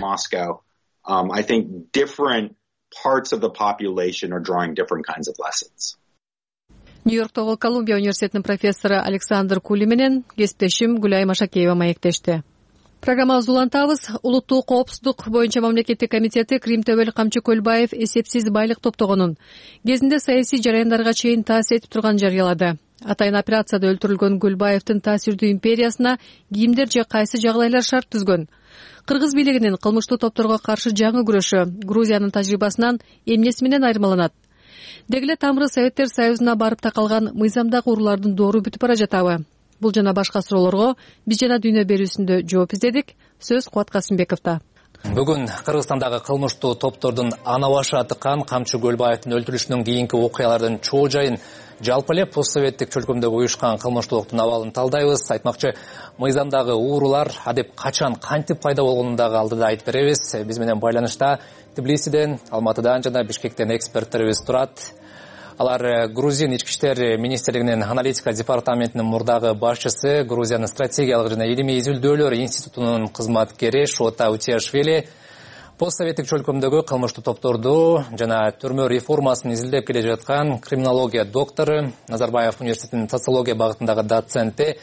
S13: I think different parts of the population are drawing different kinds of lessons.
S2: Нью-Йорктогу Колумбия университетинин профессору Александр Кули менен кесиптешим Гүлай Машакеева маектешти. Программабызды улантабыз. Улуттук коопсуздук боюнча мамлекеттик комитети Крим Төбөл Камчы Көлбаев эсепсиз байлык топтогонун кезинде саясий жараяндарга чейин таасир этип турганын жарыялады. Атайын операцияда өлтүрүлгөн Көлбаевдин таасирдүү империясына кимдер же кайсы жагдайлар шарт түзгөн? Кыргыз бийлигинин кылмыштуу топторго каршы жаңы күрөшү Грузиянын тажрыйбасынан эмнеси менен айырмаланат? Дегеле тамыры Советтер Союзуна барып такалган мыйзамдагы уруулардын доору бүтүп бара жатабы? Бул жана башка суроолорго биз жана дүйнө берүүсүндө жооп издедик. Сөз Кубат Касымбековдо.
S15: Бүгүн Кыргызстандагы кылмыштуу топтордун ана башы тыккан Камчы Көлбаевдин өлтүрүшүнүн кийинки окуялардын чоо жайын, жалпы эле постсоветтик чөлкөмдө уюшкан кылмыштуулуктун абалын талдайбыз. Айтмакчы, мыйзамдагы уурулар адеп качан, кантип пайда болгонун дагы алдыда айтып беребиз. Биз менен байланышта Тбилисиден, Алматыдан жана Бишкектен эксперттерибиз турат. Алар Грузин ички иштер министрлигинин аналитика департаментинин мурдагы башчысы, Грузиянын стратегиялык жана илимий изилдөөлөр институтунун кызматкери Шота Утиашвили, постсоветтик чөлкөмдөгү кылмыштуу топторду жана түрмө реформасын изилдеп келе жаткан криминология доктору, Назарбаев университетинин социология багытындагы доценти,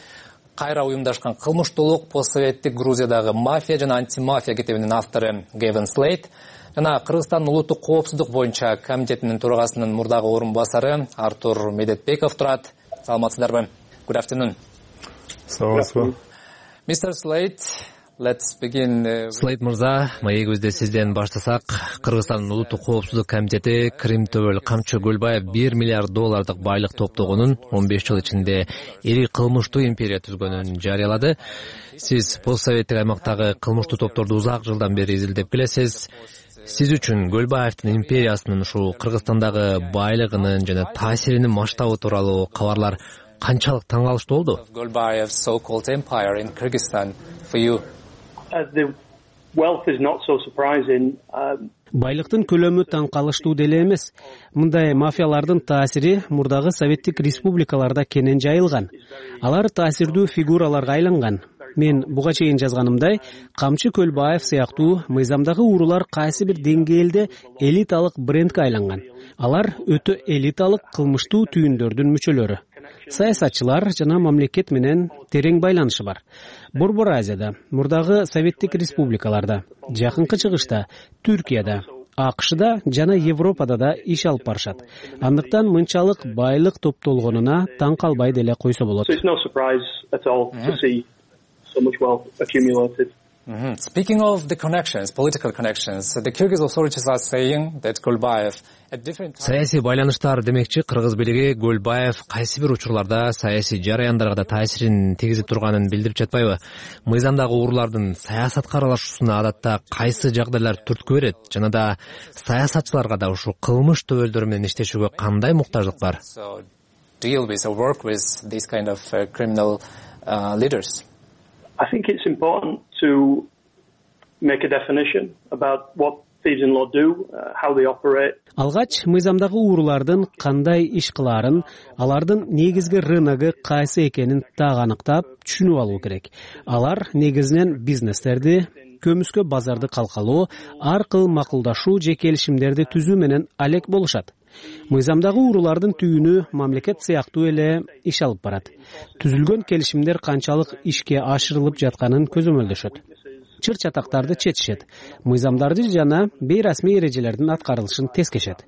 S15: кайра уюмдашкан кылмыштуулук, постсоветтик Грузиядагы мафия жана антимафия китебинин автору Гевин Слейт, жана Кыргызстандын улуттук коопсуздук боюнча комитетинин төрагасынын мурдагы орун басары Артур Медетбеков турат. Саламатсыздарбы? Good afternoon.
S16: Саламатсызбы.
S15: Mr. Slate, let's begin. Slate мырза, маегибизди сизден баштасак, Кыргызстандын улуттук коопсуздук комитети Крим Төбөл Камчы Көлбаев $1 миллиард байлык топтогонун, 15 жыл ичинде ири кылмыштуу империя түзгөнүн жарыялады. Сиз постсоветтик аймактагы кылмыштуу топторду узак жылдан бери изилдеп келесиз. Сиз үчүн Көлбаевдин империясынын ушул Кыргызстандагы байлыгынын жана таасиринин масштабы тууралуу кабарлар канчалык таң калыштуу болду?
S17: Golbaev's so-called empire in Kyrgyzstan for you. The wealth is not so surprising.
S14: Байлыктын көлөмү таң калыштуу деле эмес. Мындай мафиялардын таасири мурдагы советтик республикаларда кенен жайылган. Алар таасирдүү фигураларга айланган. Мен буга чейин жазганымдай, Камчы Көлбаев сыяктуу мыйзамдагы уурулар кайсы бир деңгээлде элиталык брендке айланган. Алар өтө элиталык кылмыштуу түйүндөрдүн мүчөлөрү. Саясатчылар жана мамлекет менен терең байланышы бар. Борбор Азияда, мурдагы советтик республикаларда, жакынкы чыгышта, Түркияда, АКШда жана Европада да иш алып барышат. Андыктан мынчалык байлык топтолгонуна таң калбай деле койсо болот.
S17: So much wealth accumulated.
S15: Speaking of the connections, political connections, the Kyrgyz authorities are saying that Golbaev at different саясий байланыштар демекчи, Кыргыз бийлиги Golbaev кайсы бир учурларда саясий жараяндарга да таасирин тийгизип турганын билдирип жатпайбы? Мыйзамдагы уурулардын саясатка аралашуусуна адатта кайсы жагдайлар түрткү берет? Жана да саясатчыларга да ушул кылмыш төбөлдөрү менен иштешүүгө кандай муктаждык бар?
S17: So deal with or work with these kind of criminal leaders. I think it's important to make a definition about what thieves in law do, how they operate.
S14: Алгач мыйзамдагы уурулардын кандай иш кылаарын, алардын негизги рыногу кайсы экенин так аныктап, түшүнүп алуу керек. Алар негизинен бизнестерди, көмүскө базарды калкалоо, ар кыл макулдашуу же келишимдерди түзүү менен алек болушат. Мыйзамдагы уурулардын түйүнү мамлекет сыяктуу эле иш алып барат. Түзүлгөн келишимдер канчалык ишке ашырылып жатканын көзөмөлдөшөт. чыр чатактарды четишет, мыйзамдарды жана бейрасмий эрежелердин аткарылышын тескешет.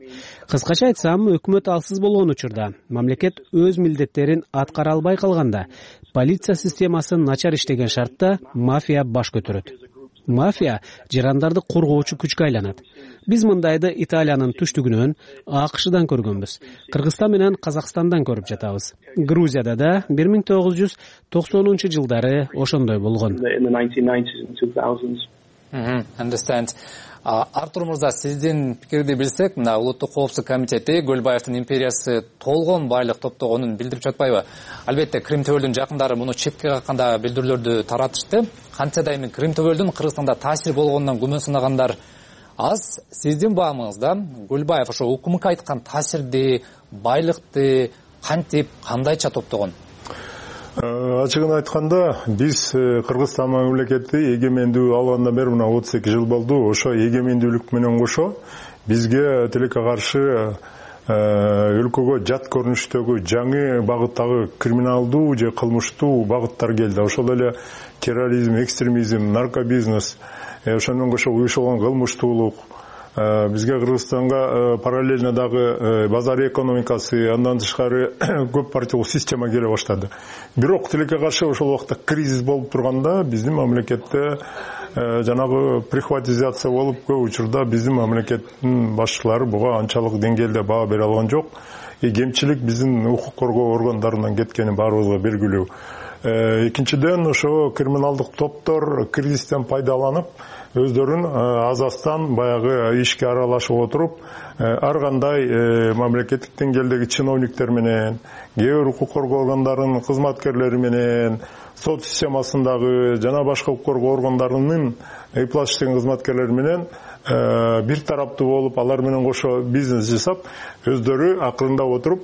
S14: Кыскача айтсам, өкмөт алсыз болгон учурда, мамлекет өз милдеттерин аткара албай калганда, полиция системасы начар иштеген шартта мафия баш көтөрөт. Мафия жарандарды коргоочу күчкө айланат. Биз мындайды Италиянын түштүгүнөн, АКШдан көргөнбүз. Кыргызстан менен Казакстандан көрүп жатабыз. Грузияда да 1990-жылдары ошондой болгон.
S15: Understand. Артур Мырза, сиздин пикирди билсек, мына Улуттук коопсуздук комитети Көлбаевдин империясы толгон байлык топтогонун билдирип жатпайбы? Албетте, Крим төбөлдүн жакындары муну четке какканда билдирүүлөрдү таратышты. Кантсе да эми Крим төбөлдүн Кыргызстанда таасир болгонунан күмөн санагандар аз. Сиздин баамыңызда Көлбаев ошо УКМК айткан таасирди, байлыкты кантип, кандайча топтогон?
S16: Ачыгын айтканда, биз Кыргызстан мамлекети эгемендүү алгандан бери мына 32 жыл болду. Ошо эгемендүүлүк менен кошо бизге тилекке каршы өлкөгө жат көрүнүштөгү жаңы багыттагы криминалдуу же кылмыштуу багыттар келди. Ошол эле терроризм, экстремизм, наркобизнес, ошондон кошо уюшулган кылмыштуулук, бизге Кыргызстанга параллельно дагы базар экономикасы, андан тышкары көп партиялуу система келе баштады. Бирок тилекке каршы ошол убакта кризис болуп турганда биздин мамлекетте жанагы прихватизация болуп, көп учурда биздин мамлекеттин башчылары буга анчалык деңгээлде баа бере алган жок. Кемчилик биздин укук коргоо органдарынан кеткени баарыбызга белгилүү. Экинчиден, ошо криминалдык топтор кризистен пайдаланып өздөрүн азастан баягы ишке аралашып отуруп, ар кандай мамлекеттик деңгээлдеги чиновниктер менен, кээ бир укук коргоо органдарынын кызматкерлери менен, сот системасындагы жана башка укук коргоо органдарынын ыйплаш иштеген кызматкерлери менен бир тараптуу болуп, алар менен кошо бизнес жасап, өздөрү акырындап отуруп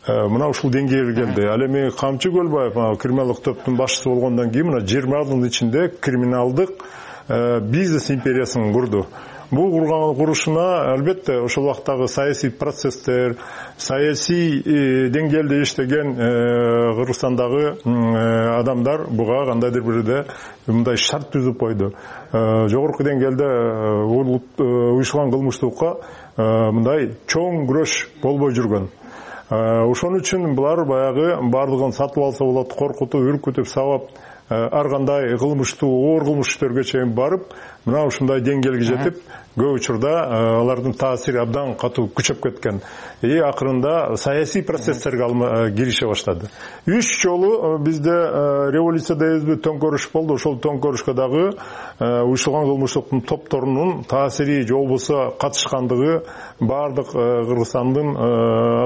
S16: мына ушул деңгээлге келди. Ал эми Камчы Көлбаев криминалдык топтун башчысы болгондон кийин мына 20 жылдын ичинде криминалдык бизнес империясын курду. Бул курушуна албетте ошол убактагы саясий процесстер, саясий деңгээлде иштеген Кыргызстандагы адамдар буга кандайдыр бирде мындай шарт түзүп койду. Жогорку деңгээлде уюшулган кылмыштуулукка мындай чоң күрөш болбой жүргөн. Ошон үчүн булар баягы бардыгын сатып алса болот, коркутуп, үркүтүп, сабап, ар кандай кылмыштуу, оор кылмыш иштерге чейин барып, мына ушундай деңгээлге жетип, көп учурда алардын таасири абдан катуу күчөп кеткен. Акырында саясий процесстерге кирише баштады. 3 жолу бизде революция дейбизби, төңкөрүш болду. Ошол төңкөрүшкө дагы уюшулган кылмыштыктын топторунун таасири же болбосо катышкандыгы бардык Кыргызстандын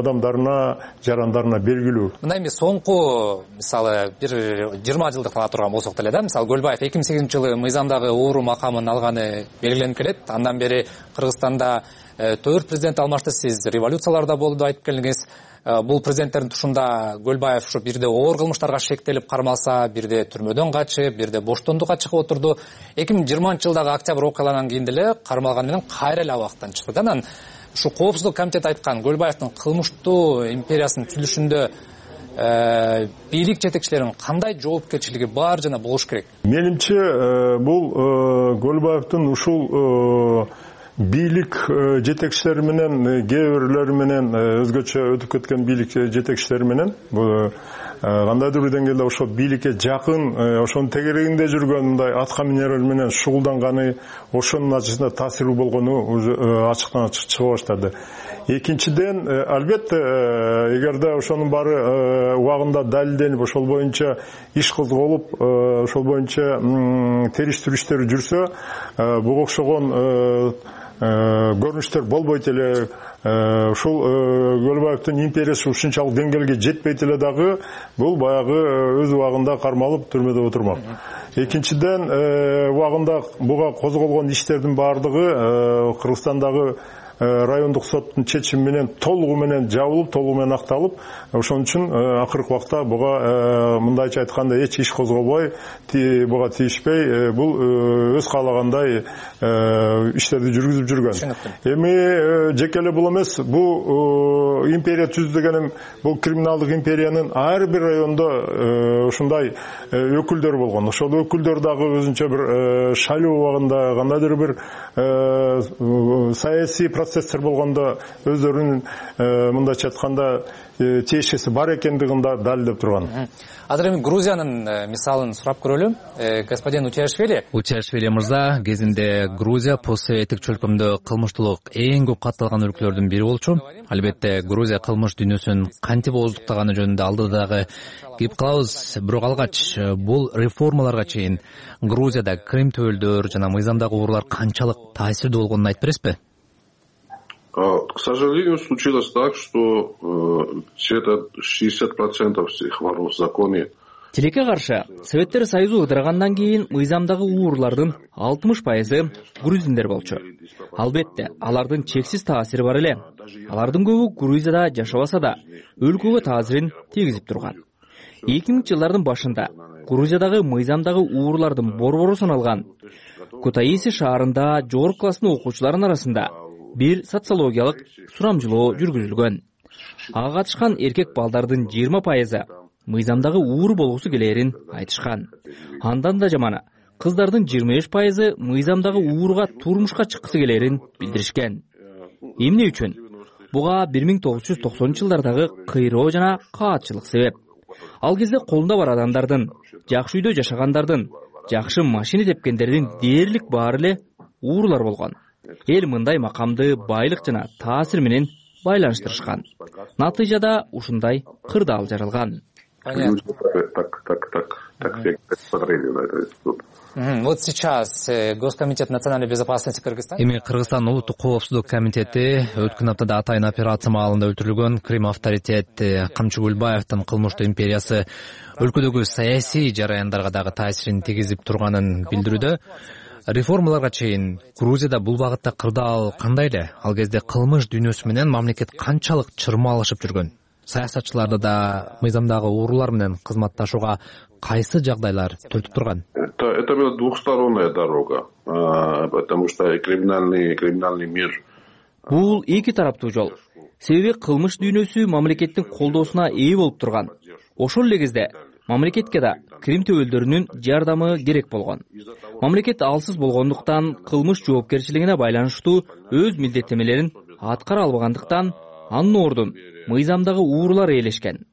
S16: адамдарына, жарандарына белгилүү.
S15: Мына эми соңку, мисалы, бир 20 жылдык тана турган болсок деле да, мисалы Көлбаев 2008-жылы мыйзамдагы оору макамын алганы белгиленип келет. Андан бери Кыргызстанда 4 президент алмашты. Сиз революцияларда болду айтып келдиңиз. Бул президенттердин тушунда Көлбаев ушу бирде оор кылмыштарга шектелип кармалса, бирде түрмөдөн качып, бирде боштондукка чыгып отурду. 2020-жылдагы октябрь окуяларынан кийин деле кармалган менен кайра эле абактан чыкты. Анан ушу коопсуздук комитети айткан Көлбаевдин кылмыштуу империясынын түзүлүшүндө бийлик жетекчилеринин кандай жоопкерчилиги бар жана болуш керек?
S16: Менимче бул Көлбаевдин ушул бийлик жетекчилери менен, кээ бирлери менен өзгөчө өтүп кеткен бийлик жетекчилери менен кандайдыр бир деңгээлде ошо бийликке жакын, ошонун тегерегинде жүргөн мындай атка минерлер менен шугулданганы, ошонун натыйжасында таасирүү болгону ачыктан ачык чыга баштады. Экинчиден, албетте, эгерде ошонун баары убагында далилденип, ошол боюнча иш козголуп, ошол боюнча териштирүү иштери жүрсө, буга окшогон көрүнүштөр болбойт эле. Ушул Көлбаевдин империясы ушунчалык деңгээлге жетпейт эле дагы, бул баягы өз убагында кармалып түрмөдө отурмак. Экинчиден, убагында буга козголгон иштердин баардыгы Кыргызстандагы райондук соттун чечими менен толугу менен жабылып, толугу менен акталып, ошон үчүн акыркы убакта буга мындайча айтканда эч иш козголбой, буга тийишпей, бул өз каалагандай иштерди жүргүзүп жүргөн. Эми жеке эле бул эмес, бул империя түз дегеним, бул криминалдык империянын ар бир райондо ушундай өкүлдөр болгон. Ошол өкүлдөр дагы өзүнчө бир шайлоо убагында кандайдыр бир саясий процесстер болгондо өздөрүнүн мындайча айтканда тиешеси бар экендигин да далилдеп турган.
S15: Азыр эми Грузиянын мисалын сурап көрөлү. Господин Утиашвили мырза, кезинде Грузия постсоветтик чөлкөмдө кылмыштуулук эң көп катталган өлкөлөрдүн бири болчу. Албетте Грузия кылмыш дүйнөсүн кантип ооздуктаганы жөнүндө алдыда дагы кеп калабыз. Бирок алгач бул реформаларга чейин Грузияда Крым төбөлдөр жана мыйзамдагы уурулар канчалык таасирдүү болгонун айтып бересизби?
S18: К сожалению, случилось так, что где-то 60% всех воров в законе.
S1: Тилекке каршы, Советтер Союзу ыдыргандан кийин мыйзамдагы уурулардын 60% грузиндер болчу. Албетте, алардын чексиз таасири бар эле. Алардын көбү Грузияда жашабаса да, өлкөгө таасирин тийгизип турган. 2000-жылдардын башында Грузиядагы мыйзамдагы уурулардын борбору саналган Кутаиси шаарында жогорку класстын окуучуларынын арасында бир социологиялык сурамжылоо жүргүзүлгөн. Ага катышкан эркек балдардын 20% мыйзамдагы ууру болгусу келерин айтышкан. Андан да жаманы, кыздардын 25% мыйзамдагы ууруга турмушка чыккысы келерин билдиришкен. Эмне үчүн? Буга 1990-жылдардагы кыйроо жана каатчылык себеп. Ал кезде колунда бар адамдардын, жакшы үйдө жашагандардын, жакшы машина тепкендердин дээрлик баары эле уурулар болгон. Эл мындай макамды байлык жана таасир менен байланыштырышкан. Натыйжада ушундай кырдаал жаралган.
S15: Вот сейчас Госкомитет национальной безопасности Кыргызстана. Эми Кыргызстан улуттук коопсуздук комитети өткөн аптада атайын операция маалында өлтүрүлгөн Крым авторитет Камчы Гүлбаевдин кылмыштуу империясы өлкөдөгү саясий жараяндарга дагы таасирин тийгизип турганын билдирүүдө. Реформаларга чейин Грузияда бул багытта кырдаал кандай эле? Ал кезде кылмыш дүйнөсү менен мамлекет канчалык чырмалышып жүргөн? Саясатчыларды да мыйзамдагы уурулар менен кызматташууга кайсы жагдайлар түртүп турган?
S18: Это была двухсторонняя дорога, потому что криминальный мир.
S1: Бул эки тараптуу жол. Себеби кылмыш дүйнөсү мамлекеттин колдоосуна ээ болуп турган. Ошол эле кезде мамлекетке да Крым төбөлдөрүнүн жардамы керек болгон. Мамлекет алсыз болгондуктан кылмыш жоопкерчилигине байланыштуу өз милдеттемелерин аткара албагандыктан анын ордун мыйзамдагы уурулар ээлешкен.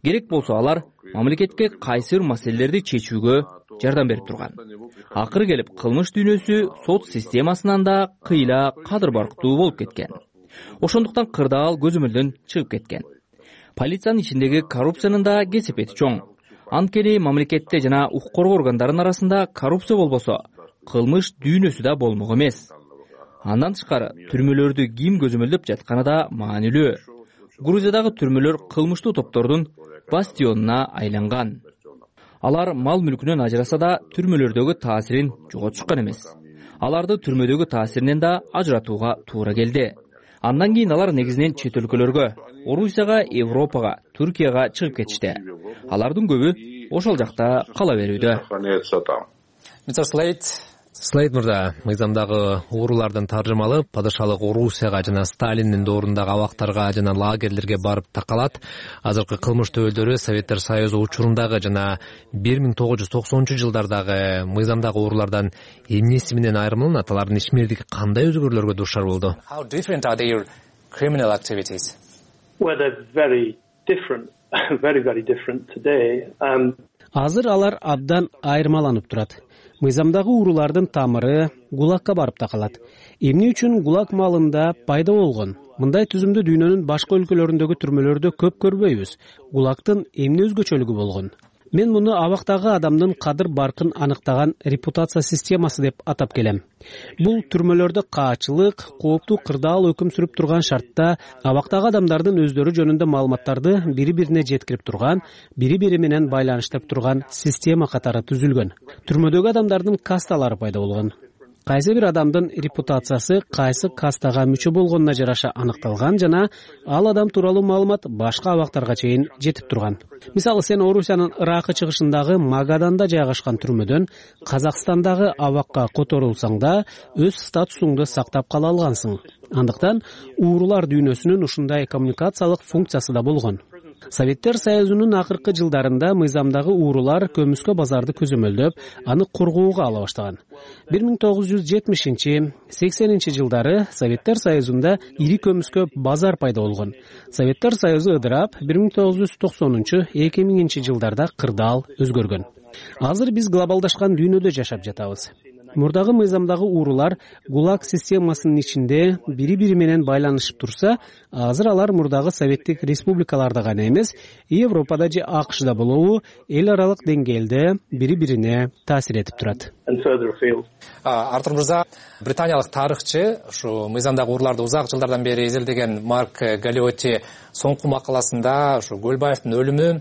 S1: Керек болсо алар мамлекетке кайсы бир маселелерди чечүүгө жардам берип турган. Акыры келип кылмыш дүйнөсү сот системасынан да кыйла кадыр барктуу болуп кеткен. Ошондуктан кырдаал көзөмөлдөн чыгып кеткен. Полициянын ичиндеги коррупциянын да кесепети чоң. Анткени мамлекетте жана укук коргоо органдарынын арасында коррупция болбосо, кылмыш дүйнөсү да болмок эмес. Андан тышкары түрмөлөрдү ким көзөмөлдөп жатканы да маанилүү. Грузиядагы түрмөлөр кылмыштуу топтордун бастионуна айланган. Алар мал мүлкүнөн ажыраса да түрмөлөрдөгү таасирин жоготушкан эмес. Аларды түрмөдөгү таасиринен да ажыратууга туура келди. Андан кийин алар негизинен чет өлкөлөргө, Орусияга, Европага, Түркияга чыгып кетишти. Алардын көбү ошол жакта кала берүүдө.
S15: Слейд мырза, мыйзамдагы уурулардын таржымалы падышалык Орусияга жана Сталиндин доорундагы абактарга жана лагерлерге барып такалат. Азыркы кылмыш төбөлдөрү Советтер Союзу учурундагы жана 1990-жылдардагы мыйзамдагы уурулардан эмнеси менен айырмаланат? Алардын ишмердиги кандай өзгөрүүлөргө дуушар болду?
S17: Well, they're very different, very different today.
S14: Азыр алар абдан айырмаланып турат. Мыйзамдагы уурулардын тамыры ГУЛАГка барып такалат. Эмне үчүн ГУЛАГ маалында пайда болгон? Мындай түзүмдү дүйнөнүн башка өлкөлөрүндөгү түрмөлөрдө көп көрбөйбүз. ГУЛАГтын эмне өзгөчөлүгү болгон? Мен муну абактагы адамдын кадыр баркын аныктаган репутация системасы деп атап келем. Бул түрмөлөрдө каачылык, кооптуу кырдаал өкүм сүрүп турган шартта абактагы адамдардын өздөрү жөнүндө маалыматтарды бири-бирине жеткирип турган, бири-бири менен байланыштырып турган система катары түзүлгөн. Түрмөдөгү адамдардын касталары пайда болгон. кайсы бир адамдын репутациясы кайсы кастага мүчө болгонуна жараша аныкталган жана ал адам тууралуу маалымат башка абактарга чейин жетип турган. Мисалы, сен Орусиянын Ыракы чыгышындагы Магаданда жайгашкан түрмөдөн Казакстандагы абакка которулсаң да өз статусуңду сактап кала алгансың. Андыктан уурулар дүйнөсүнүн ушундай коммуникациялык функциясы да болгон. Советтер Союзунун акыркы жылдарында мыйзамдагы уурулар көмүскө базарды көзөмөлдөп, аны коргоого ала баштаган. 1970-80 жылдары Советтер Союзунда ири көмүскө базар пайда болгон. Советтер Союзу ыдырап, 1990-2000 жылдарда кырдаал өзгөргөн. Азыр биз глобалдашкан дүйнөдө жашап жатабыз. Мурдагы мыйзамдагы уурулар ГУЛАГ системасынын ичинде бири-бири менен байланышып турса, азыр алар мурдагы советтик республикаларда гана эмес, Европада же АКШда болобу, эл аралык деңгээлде бири-бирине таасир этип турат.
S15: Артур мырза, британиялык тарыхчы, ушу мыйзамдагы ууруларды узак жылдардан бери изилдеген Марк Галиотти соңку макаласында ушу Көлбаевдин өлүмү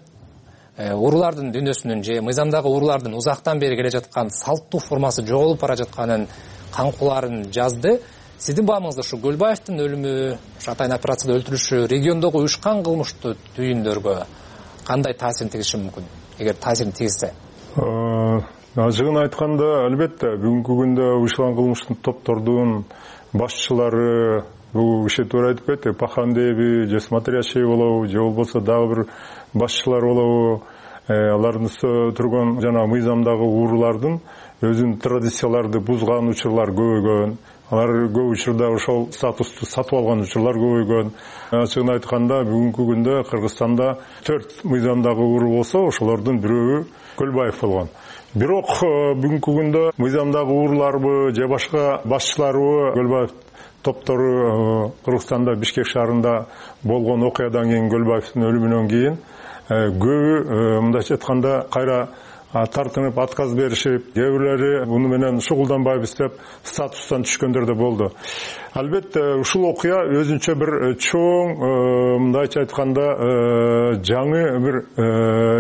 S15: уурулардын дүйнөсүнүн же мыйзамдагы уурулардын узактан бери келе жаткан салттуу формасы жоголуп бара жатканын каңкууларын жазды. Сиздин баамыңызда ушу Көлбаевдин өлүмү, ушу атайын операцияда өлтүрүшү региондогу уюшкан кылмыштуу түйүндөргө кандай таасирин тийгизиши мүмкүн? Эгер таасирин тийгизсе?
S16: Ажыгын айтканда, албетте бүгүнкү күндө уюшкан кылмыштын топтордун башчылары бул киши туура айтып кетти, Пахандеби же Смотрящий болобу, же болбосо дагы бир башчылар болобу, алардын үстү турган жана мыйзамдагы уурулардын өзүнүн традицияларды бузган учурлар көбөйгөн. Алар көп учурда ошол статусту сатып алган учурлар көбөйгөн. Ачыгын айтканда, бүгүнкү күндө Кыргызстанда 4 мыйзамдагы уурул болсо, ошолордун бирөөү Көлбаев болгон. Бирок бүгүнкү күндө мыйзамдагы ууруларбы же башка башчыларбы Көлбаев топтору Кыргызстанда Бишкек шаарында болгон окуядан кийин, Көлбаевдин өлүмүнөн кийин көбү мындайча айтканда кайра тартынып отказ беришип, кээ бирлери буну менен шугулданбайбыз деп статустан түшкөндөр да болду. Албетте ушул окуя өзүнчө бир чоң мындайча айтканда жаңы бир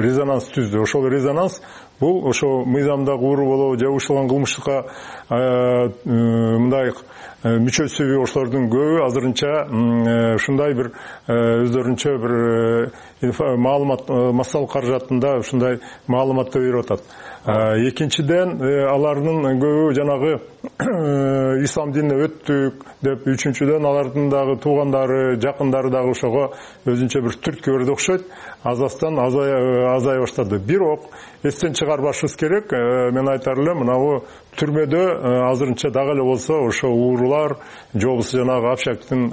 S16: резонанс түздү. Ошол резонанс бул ошо мыйзамдагы уурул болобу же уюшталган кылмыштыкка мындай мүчөсүбү ошолордун көбү азырынча ушундай бир өздөрүнчө бир маалымат массалык каражатында ушундай маалыматты берип атат. Экинчиден алардын көбү жанагы ислам динине өттүк деп, үчүнчүдөн алардын дагы туугандары, жакындары дагы ошого өзүнчө бир түрткү берди окшойт. Азастан азая баштады. Бирок эстен чыгарбашыбыз керек. Мен айтар элем, мынабу түрмөдө азырынча дагы эле болсо ошо уурулар, же болбосо жанагы Общактын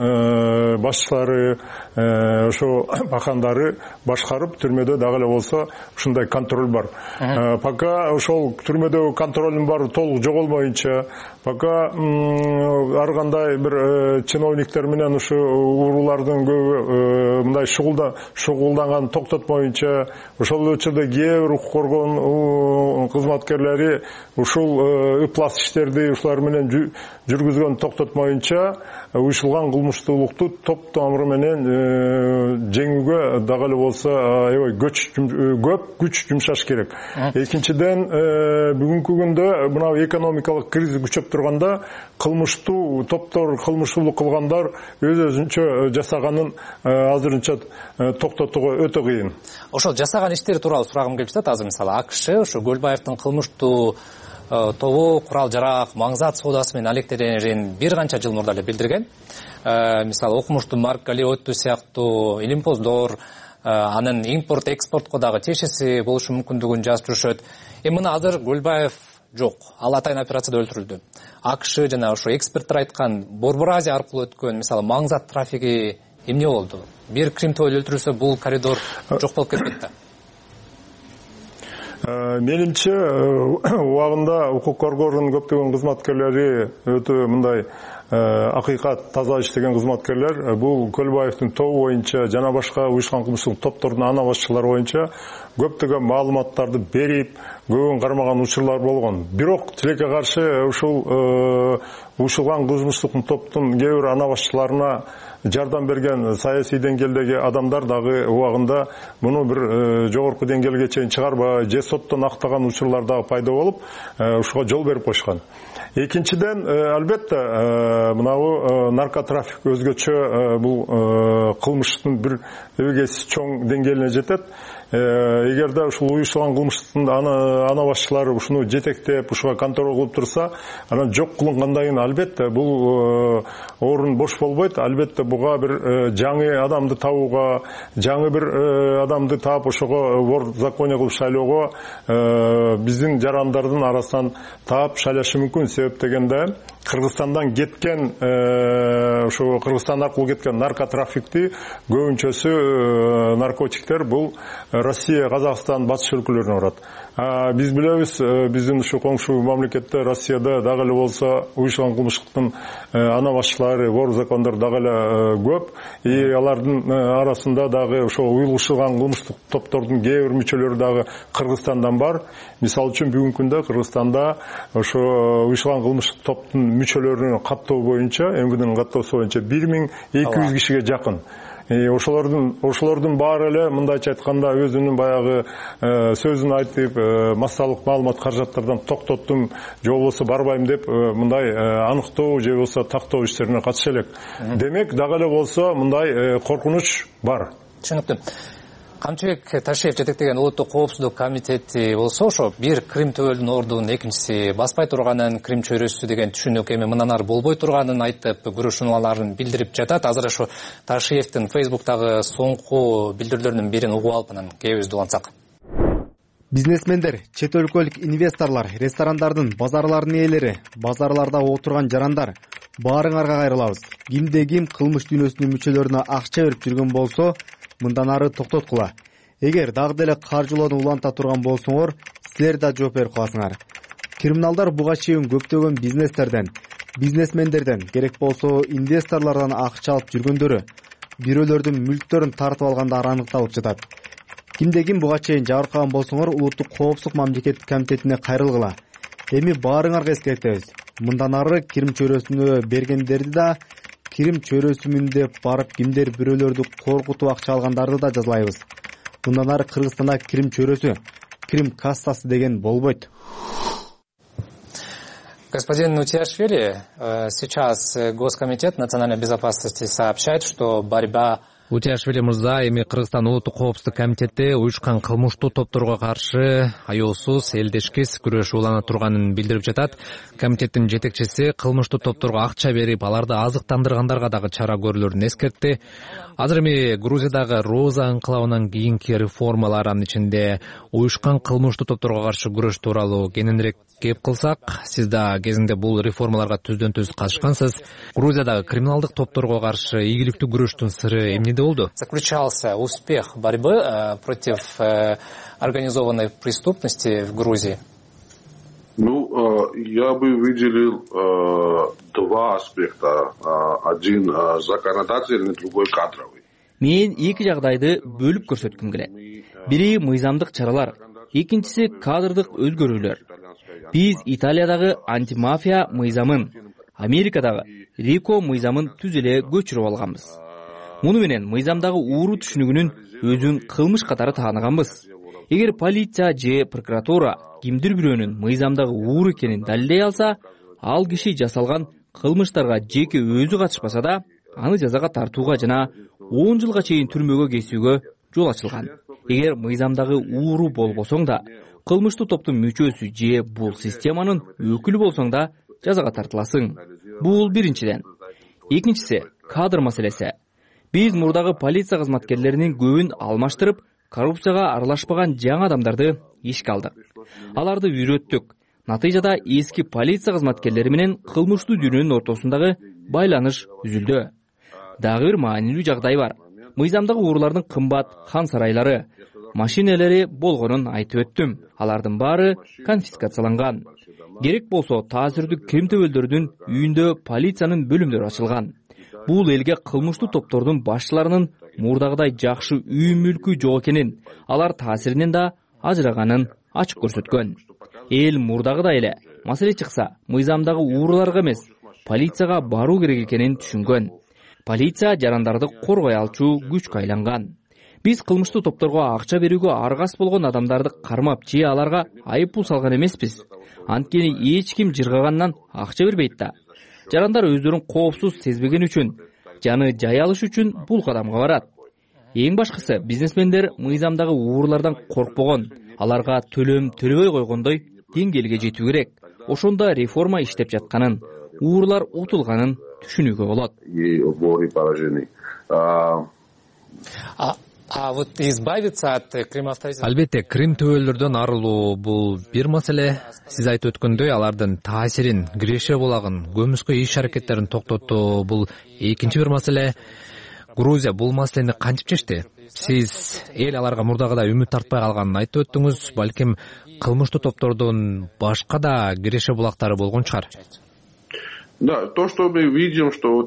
S16: башчылары, ошо бакандары башкарып, түрмөдө дагы эле болсо ушундай контроль бар. Пока ошол түрмөдөгү контролдун баары толук жоголбоюнча, пока ар кандай бир чиновниктер менен ушу уурулардын көбү мындай шугулданганын токтотмоюнча, ошол учурда кээ бир укук коргоо кызматкерлери ушул ыплас иштерди ушулар менен жүргүзгөн токтотмоюнча, уюшталган кылмыштуулукту топ тамыры менен жеңүүгө дагы эле болсо көп күч жумшаш керек. Экинчиден, бүгүнкү күндө мына экономикалык кризис күчөп турганда, кылмыштуу топтор, кылмыштуулук кылгандар өзүнчө жасаганын азырынча токтотууга өтө кыйын.
S15: Ошол жасаган иштери тууралуу сурагым келип жатат. Азыр мисалы АКШ ошо Көлбаевдин кылмыштуу тобу курал жарак, маңзат соодасы менен алектенерин бир канча жыл мурда эле билдирген. Мисалы окумуштуу Марк Галиотти сыяктуу илимпоздор анын импорт экспортко дагы тиешеси болушу мүмкүндүгүн жазып жүрүшөт. Мына азыр Көлбаев жок, ал атайын операцияда өлтүрүлдү. АКШ жана ошо эксперттер айткан Борбор Азия аркылуу өткөн мисалы маңзат трафиги эмне болду? Бир Кримтөө өлтүрүлсө бул коридор жок болуп кетпейт да.
S16: Менимче убагында укук коргоонун көптөгөн кызматкерлери өтө мындай акыйкат таза иштеген кызматкерлер бул Көлбаевдин тобу боюнча жана башка уюшкан кылмыштык топтордун ана башчылары боюнча көптөгөн маалыматтарды берип, көбүн кармаган учурлар болгон. Бирок тилекке каршы ушул уюшулган кылмыштык топтун кээ бир ана башчыларына жардам берген саясий деңгээлдеги адамдар дагы убагында муну бир жогорку деңгээлге чейин чыгарбай же соттон актаган учурлар дагы пайда болуп, ушуга жол берип койшкан. Экинчиден, албетте, мынабу наркотрафик өзгөчө бул кылмыштын бир эбегейсиз чоң деңгээлине жетет. Эгерде ушул уюштурган кылмыштын ана башчылары ушуну жетектеп, ушуга контроль кылып турса, анан жок кылынгандан кийин албетте бул орун бош болбойт. Албетте буга бир жаңы адамды табууга, жаңы бир адамды таап ошого вор законе кылып шайлоого биздин жарандардын арасынан таап шайлашы мүмкүн. Себеп дегенде Кыргызстандан кеткен, ошо Кыргызстан аркылуу кеткен наркотрафикти көбүнчөсү наркотиктер бул Россия, Казакстан, батыш өлкөлөрүнө барат. Биз билебиз, биздин ушу коңшу мамлекетте Россияда дагы эле болсо уюшкан кылмыштыктын ана башчылары, вор закондор дагы эле көп. И алардын арасында дагы ошо уюлушкан кылмыштык топтордун кээ бир мүчөлөрү дагы Кыргызстандан бар. Мисалы үчүн бүгүнкү күндө Кыргызстанда ошо уюшкан кылмыштык топтун мүчөлөрүнүн каттоо боюнча, МВДнын каттоосу боюнча 1200 кишиге жакын. Ошолордун баары эле мындайча айтканда өзүнүн баягы сөзүн айтып, массалык маалымат каражаттардан токтоттум, же болбосо барбайм деп мындай аныктоо же болбосо тактоо иштерине катыша элек. Демек, дагы эле болсо мындай коркунуч бар.
S15: Түшүнүктүү. Камчыбек Ташиев жетектеген улуттук коопсуздук комитети болсо, ошо бир Крим төбөлдүн ордунун, экинчиси баспай турганын, Крим чөйрөсү деген түшүнүк эми мындан ары болбой турганын айтып, күрөшүүлөрүн билдирип жатат. Азыр ошо Ташиевдин Facebook'тагы соңку билдирүүлөрүнүн бирин угуп алып, анан кебизди улантсак.
S19: Бизнесмендер, чет өлкөлүк инвесторлор, ресторандардын, базарлардын ээлери, базарларда отурган жарандар, баарыңарга кайрылабыз. Кимде ким кылмыш дүйнөсүнүн мүчөлөрүнө акча берип жүргөн болсо, мындан ары токтоткула. Эгер дагы деле каржылоону уланта турган болсоңор, силер да жооп берип каласыңар. Криминалдар буга чейин көптөгөн бизнестерден, бизнесмендерден, керек болсо инвесторлордон акча алып жүргөндөрү, бирөөлөрдүн мүлктөрүн тартып алгандары аныкталып жатат. Кимде ким буга чейин жабыркаган болсоңор, улуттук коопсуздук мамлекеттик комитетине кайрылгыла. Эми баарыңарга эскертебиз. Мындан ары Крим чөйрөсүнө бергендерди да, Крим чөйрөсүмүн деп барып кимдер бирөөлөрдү коркутуп акча алгандарды да жазалайбыз. Мындан ары Кыргызстанда Крим чөйрөсү, Крим кассасы деген болбойт.
S15: Господин Утиашвили, сейчас Госкомитет национальной безопасности сообщает, что борьба Утиашвили мырза, эми Кыргызстан улуттук коопсуздук комитети уюшкан кылмыштуу топторго каршы аеосуз, элдешкис күрөшүү улана турганын билдирип жатат. Комитеттин жетекчиси кылмыштуу топторго акча берип, аларды азыктандыргандарга дагы чара көрүүлөрүн эскертти. Азыр эми Грузиядагы Роза анклавынан кийинки реформалар, анын ичинде уюшкан кылмыштуу топторго каршы күрөш тууралуу кененирээк кеп кылсак, сиз да кезинде бул реформаларга түздөн түз катышкансыз. Грузиядагы криминалдык топторго каршы ийгиликтүү күрөштүн сыры эмнеде болду? Заключался успех борьбы против организованной преступности в Грузии?
S18: Я бы выделил два аспекта. Один законодательный, другой кадровый.
S1: Мен эки жагдайды бөлүп көрсөткүм келет. Бири мыйзамдык чаралар, экинчиси кадрдык өзгөрүүлөр. Биз Италиядагы антимафия мыйзамын, Америкадагы РИКО мыйзамын түз эле көчүрүп алганбыз. Муну менен мыйзамдагы ууру түшүнүгүнүн өзүн кылмыш катары тааныганбыз. Эгер полиция же прокуратура кимдир бирөөнүн мыйзамдагы ууру экенин далилдей алса, ал киши жасалган кылмыштарга жеке өзү катышпаса да, аны жазага тартууга жана 10 жылга чейин түрмөгө кесүүгө жол ачылган. Эгер мыйзамдагы ууру болбосоң да, кылмыштуу топтун мүчөсү же бул системанын өкүлү болсоң да жазага тартыласың. Бул биринчиден. Экинчиси кадр маселеси. Биз мурдагы полиция кызматкерлеринин көбүн алмаштырып, коррупцияга аралашпаган жаңы адамдарды ишке алдык. Аларды үйрөттүк. Натыйжада эски полиция кызматкерлери менен кылмыштуу дүйнөнүн ортосундагы байланыш үзүлдү. Дагы бир маанилүү жагдай бар. Мыйзамдагы уурулардын кымбат хан сарайлары, машинелери болгонун айтып өттүм. Алардын баары конфискацияланган. Керек болсо таасирдүү кем төбөлдөрдүн үйүндө полициянын бөлүмдөрү ачылган. Бул элге кылмыштуу топтордун башчыларынын мурдагыдай жакшы үй мүлкү жок экенин, алар таасиринен да ажыраганын ачык көрсөткөн. Эл мурдагыдай эле маселе чыкса, мыйзамдагы ууруларга эмес, полицияга баруу керек экенин түшүнгөн. Полиция жарандарды коргой алчу күчкө айланган. Биз кылмыштуу топторго акча берүүгө аргас болгон адамдарды кармап же аларга айып пул салган эмеспиз. Анткени эч ким жыргагандан акча бербейт да. Жарандар өздөрүн коопсуз сезбеген үчүн, жаны жай алыш үчүн бул кадамга барат. Эң башкысы, бизнесмендер мыйзамдагы уурулардан коркпогон, аларга төлөм төлөбөй койгондой деңгээлге жетүү керек. Ошондо реформа иштеп жатканын, уурулар утулганын түшүнүүгө болот.
S15: Албетте, Крим төбөлдөрдөн арылуу бул бир маселе. Сиз айтып өткөндөй, алардын таасирин, киреше булагын, көмүскө иш аракеттерин токтотуу бул экинчи бир маселе. Грузия бул маселени кантип чечти? Сиз эл аларга мурдагыдай үмүт тартпай калганын айтып өттүңүз. Балким кылмыштуу топтордун башка да киреше булактары болгон чыгар.
S18: Да, то, что мы видим, что...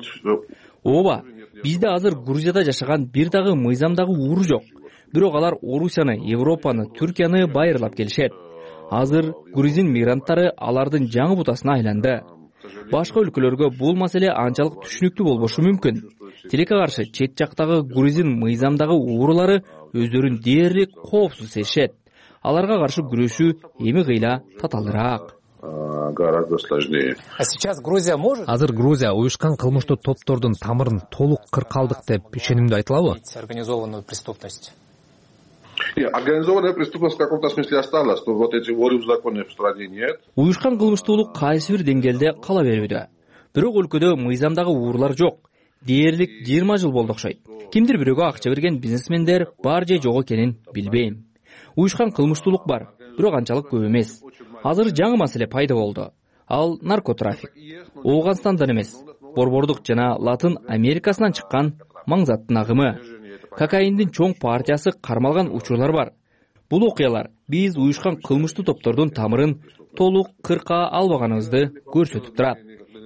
S1: Ооба, бизде азыр Грузияда жашаган бир дагы мыйзамдагы ууру жок. Бирок алар Орусияны, Европаны, Түркияны байырлап келишет. Азыр грузин мигранттары алардын жаңы бутасына айланды. Башка өлкөлөргө бул маселе анчалык түшүнүктүү болбошу мүмкүн. Тилекке каршы чет жактагы грузин мыйзамдагы уурулары өздөрүн дээрлик коопсуз сезишет. Аларга каршы күрөшүү эми кыйла татаалыраак.
S18: Гораздо сложнее.
S15: Азыр Грузия уюшкан кылмыштуу топтордун тамырын толук кыркалдык деп ишенимдүү айтылабы?
S18: Организованная преступность в каком-то смысле осталась, но вот эти воры в законе в стране нет.
S1: Уюшкан кылмыштуулук кайсы бир деңгээлде кала берүүдө. Бирок өлкөдө мыйзамдагы уурулар жок. Дээрлик 20 жыл болду окшойт. Кимдир бирөөгө акча берген бизнесмендер бар же жок экенин билбейм. Уюшкан кылмыштуулук бар, бирок анчалык көп эмес. Азыр жаңы маселе пайда болду. Ал наркотрафик. Ооганстандан эмес, Борбордук жана Латын Америкасынан чыккан маңзаттын агымы. Кокаиндин чоң партиясы кармалган учурлар бар. Бул окуялар биз уюшкан кылмыштуу топтордун тамырын толук кырка албаганыбызды көрсөтүп турат.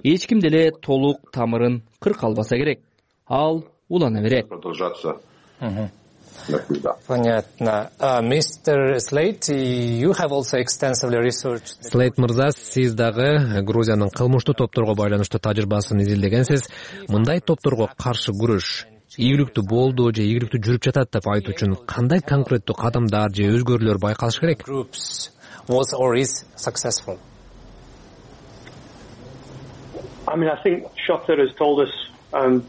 S1: Эч ким деле толук тамырын кырка албаса керек. Ал улана берет.
S15: Понятно. Мистер Слейт, you have also extensively researched. Слейт мырза, сиз дагы Грузиянын кылмыштуу топторго байланыштуу тажрыйбасын изилдегенсиз. Мындай топторго каршы күрөш ийгиликтүү болду же ийгиликтүү жүрүп жатат деп айтуу үчүн кандай конкреттүү кадамдар же өзгөрүүлөр байкалыш керек?
S17: Was or is successful. I think Shota has told us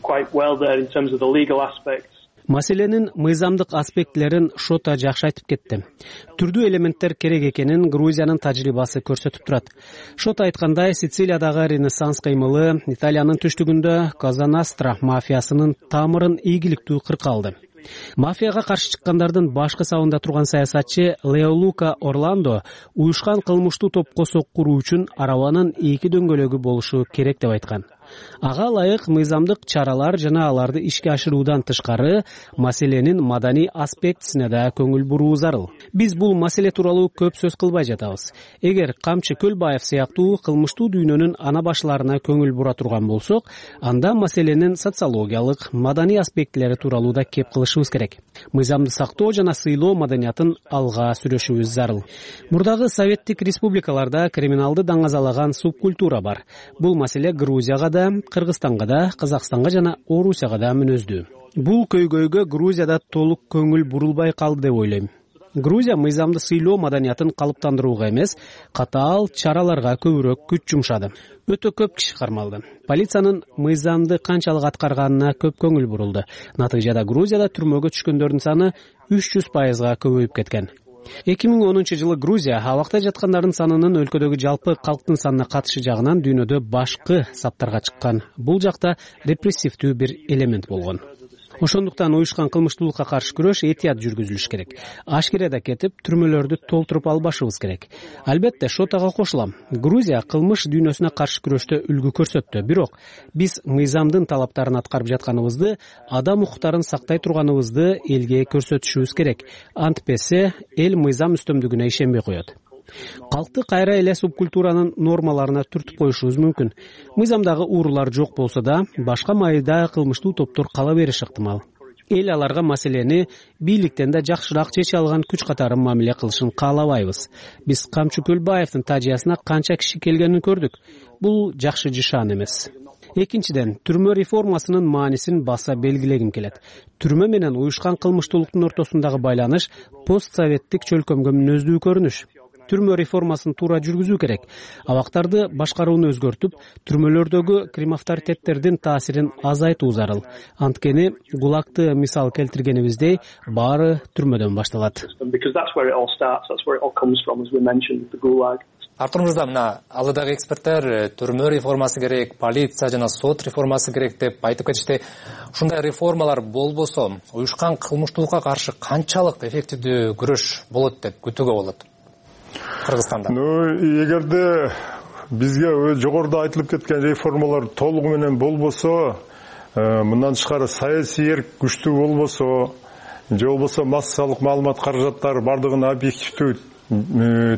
S17: quite well there in terms of the legal aspects.
S14: Маселенин мыйзамдык аспектилерин Шота жакшы айтып кетти. Түрдүү элементтер керек экенин Грузиянын тажрыйбасы көрсөтүп турат. Шота айткандай, Сицилиядагы Ренессанс кыймылы Италиянын түштүгүндө Коза Ностра мафиясынын тамырын ийгиликтүү кырка алды. Мафияга каршы чыккандардын башкы сабында турган саясатчы Лео Лука Орландо уюшкан кылмыштуу топко соккуруу үчүн арабанын 2 дөңгөлөгү болушу керек деп айткан. Ага ылайык мыйзамдык чаралар жана аларды ишке ашыруудан тышкары маселенин маданий аспектисине да көңүл буруу зарыл. Биз бул маселе тууралуу көп сөз кылбай жатабыз. Эгер Камчы Көлбаев сыяктуу кылмыштуу дүйнөнүн ана башларына көңүл бура турган болсок, анда маселенин социологиялык, маданий аспектилери тууралуу да кеп кылышыбыз керек. Мыйзамды сактоо жана сыйлоо маданиятын алга сүрөшүбүз зарыл. Мурдагы советтик республикаларда криминалды даңазалаган субкультура бар. Бул маселе Грузияга да, Кыргызстанга да, Казакстанга жана Орусияга да мүнөздүү. Бул көйгөйгө Грузияда толук көңүл бурулбай калды деп ойлойм. Грузия мыйзамды сыйлоо маданиятын калыптандырууга эмес, катаал чараларга көбүрөөк күч жумшады. Өтө көп киши кармалды. Полициянын мыйзамды канчалык аткарганына көп көңүл бурулду. Натыйжада Грузияда түрмөгө түшкөндөрдүн саны 300%га көбөйүп кеткен. 2010 жылы Грузия абакта жаткандардын санынын өлкөдөгү жалпы калктын санына катышы жагынан дүйнөдө башкы саптарга чыккан. Бул жакта репрессивдүү бир элемент болгон. Ошондуктан уюшкан кылмыштуулукка каршы күрөш этият жүргүзүлүш керек. Ашкереде кетип, түрмөлөрдү толтуруп албашыбыз керек. Албетте, Шотага кошулам. Грузия кылмыш дүйнөсүнө каршы күрөштө үлгү көрсөттү. Бирок биз мыйзамдын талаптарын аткарып жатканыбызды, адам укуктарын сактай турганыбызды элге көрсөтүшүбүз керек. Антпесе эл мыйзам үстөмдүгүнө ишенбей коет. Калкты кайра эле субкультуранын нормаларына түртүп коюшубуз мүмкүн. Мыйзамдагы уурулар жок болсо да, башка майда кылмыштуу топтор кала бериши ыктымал. Эл аларга маселени бийликтен да жакшыраак чече алган күч катары мамиле кылышын каалабайбыз. Биз Камчы Көлбаевдин тажыясына канча киши келгенин көрдүк. Бул жакшы жишан эмес. Экинчиден, түрмө реформасынын маанисин баса белгилегим келет. Түрмө менен уюшкан кылмыштуулуктун ортосундагы байланыш постсоветтик чөлкөмгө мүнөздүү көрүнүш. Түрмө реформасын туура жүргүзүү керек. Абактарды башкарууну өзгөртүп, түрмөлөрдөгү кримавторитеттердин таасирин азайтуу зарыл. Анткени ГУЛАГты мисал келтиргенибиздей, баары түрмөдөн башталат.
S15: Артур Мырза, мына алдыдагы эксперттер түрмө реформасы керек, полиция жана сот реформасы керек деп айтып кетишти. Ушундай реформалар болбосо, уюшкан кылмыштуулукка каршы канчалык эффективдүү күрөш болот деп күтүүгө болот Кыргызстанда?
S16: Эгерде бизге жогоруда айтылып кеткен реформалар толугу менен болбосо, мындан тышкары саясий эрк күчтүү болбосо, же болбосо массалык маалымат каражаттары бардыгын объективдүү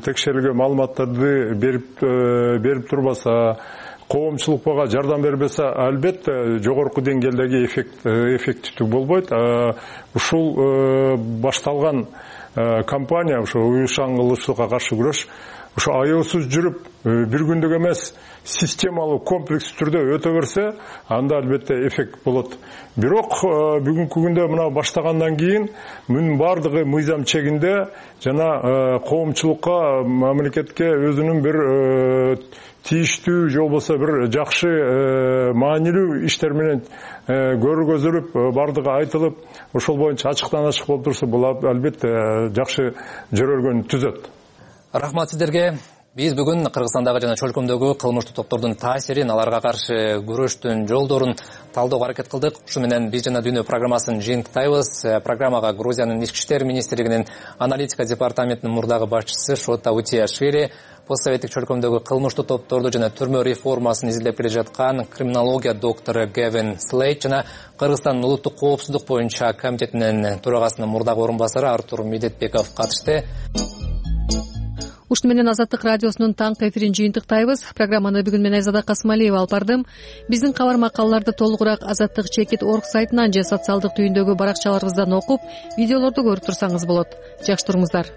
S16: текшерилген маалыматтарды берип турбаса, коомчулукка жардам бербесе, албетте жогорку деңгээлдеги эффективдүү болбойт. Ушул башталган кампания, ушу уюшкан кылмыштуулукка каршы күрөш, ушу аеосуз жүрүп, бир күндүк эмес, системалуу комплекс түрдө өтө берсе, анда албетте эффект болот. Бирок бүгүнкү күндө мына баштагандан кийин мунун бардыгы мыйзам чегинде жана коомчулукка, мамлекетке өзүнүн бир тийиштүү же болбосо бир жакшы маанилүү иштер менен көргөзүлүп, бардыгы айтылып, ошол боюнча ачыктан ачык болуп турса, бул албетте жакшы жөрөлгөн түзөт.
S15: Рахмат сиздерге. Биз бүгүн Кыргызстандагы жана чөлкөмдөгү кылмыштуу топтордун таасирин, аларга каршы күрөштүн жолдорун талдөөгө аракет кылдык. Ушу менен биз жана Дүйнө программасын жыйынтыктайбыз. Программага Грузиянын ички иштер министрлигинин аналитика департаментинин мурдагы башчысы Шота Утиашвили, постсоветтик чөлкөмдөгү кылмыштуу топторду жана түрмө реформасын изилдеп келе жаткан криминология доктору Гевин Слейт жана Кыргызстандын улуттук коопсуздук боюнча комитетинин төрагасынын мурдагы орун басары Артур Медетбеков катышты.
S2: Ушуну менен Азаттык радиосунун таңкы эфирин жыйынтыктайбыз. Программаны бүгүн мен Айзада Касмалиева алып бардым. Биздин кабар макалаларды толугураак Азаттык.org сайтынан же социалдык түйүндөгү баракчаларыбыздан окуп, видеолорду көрүп турсаңыз болот. Жакшы туруңуздар.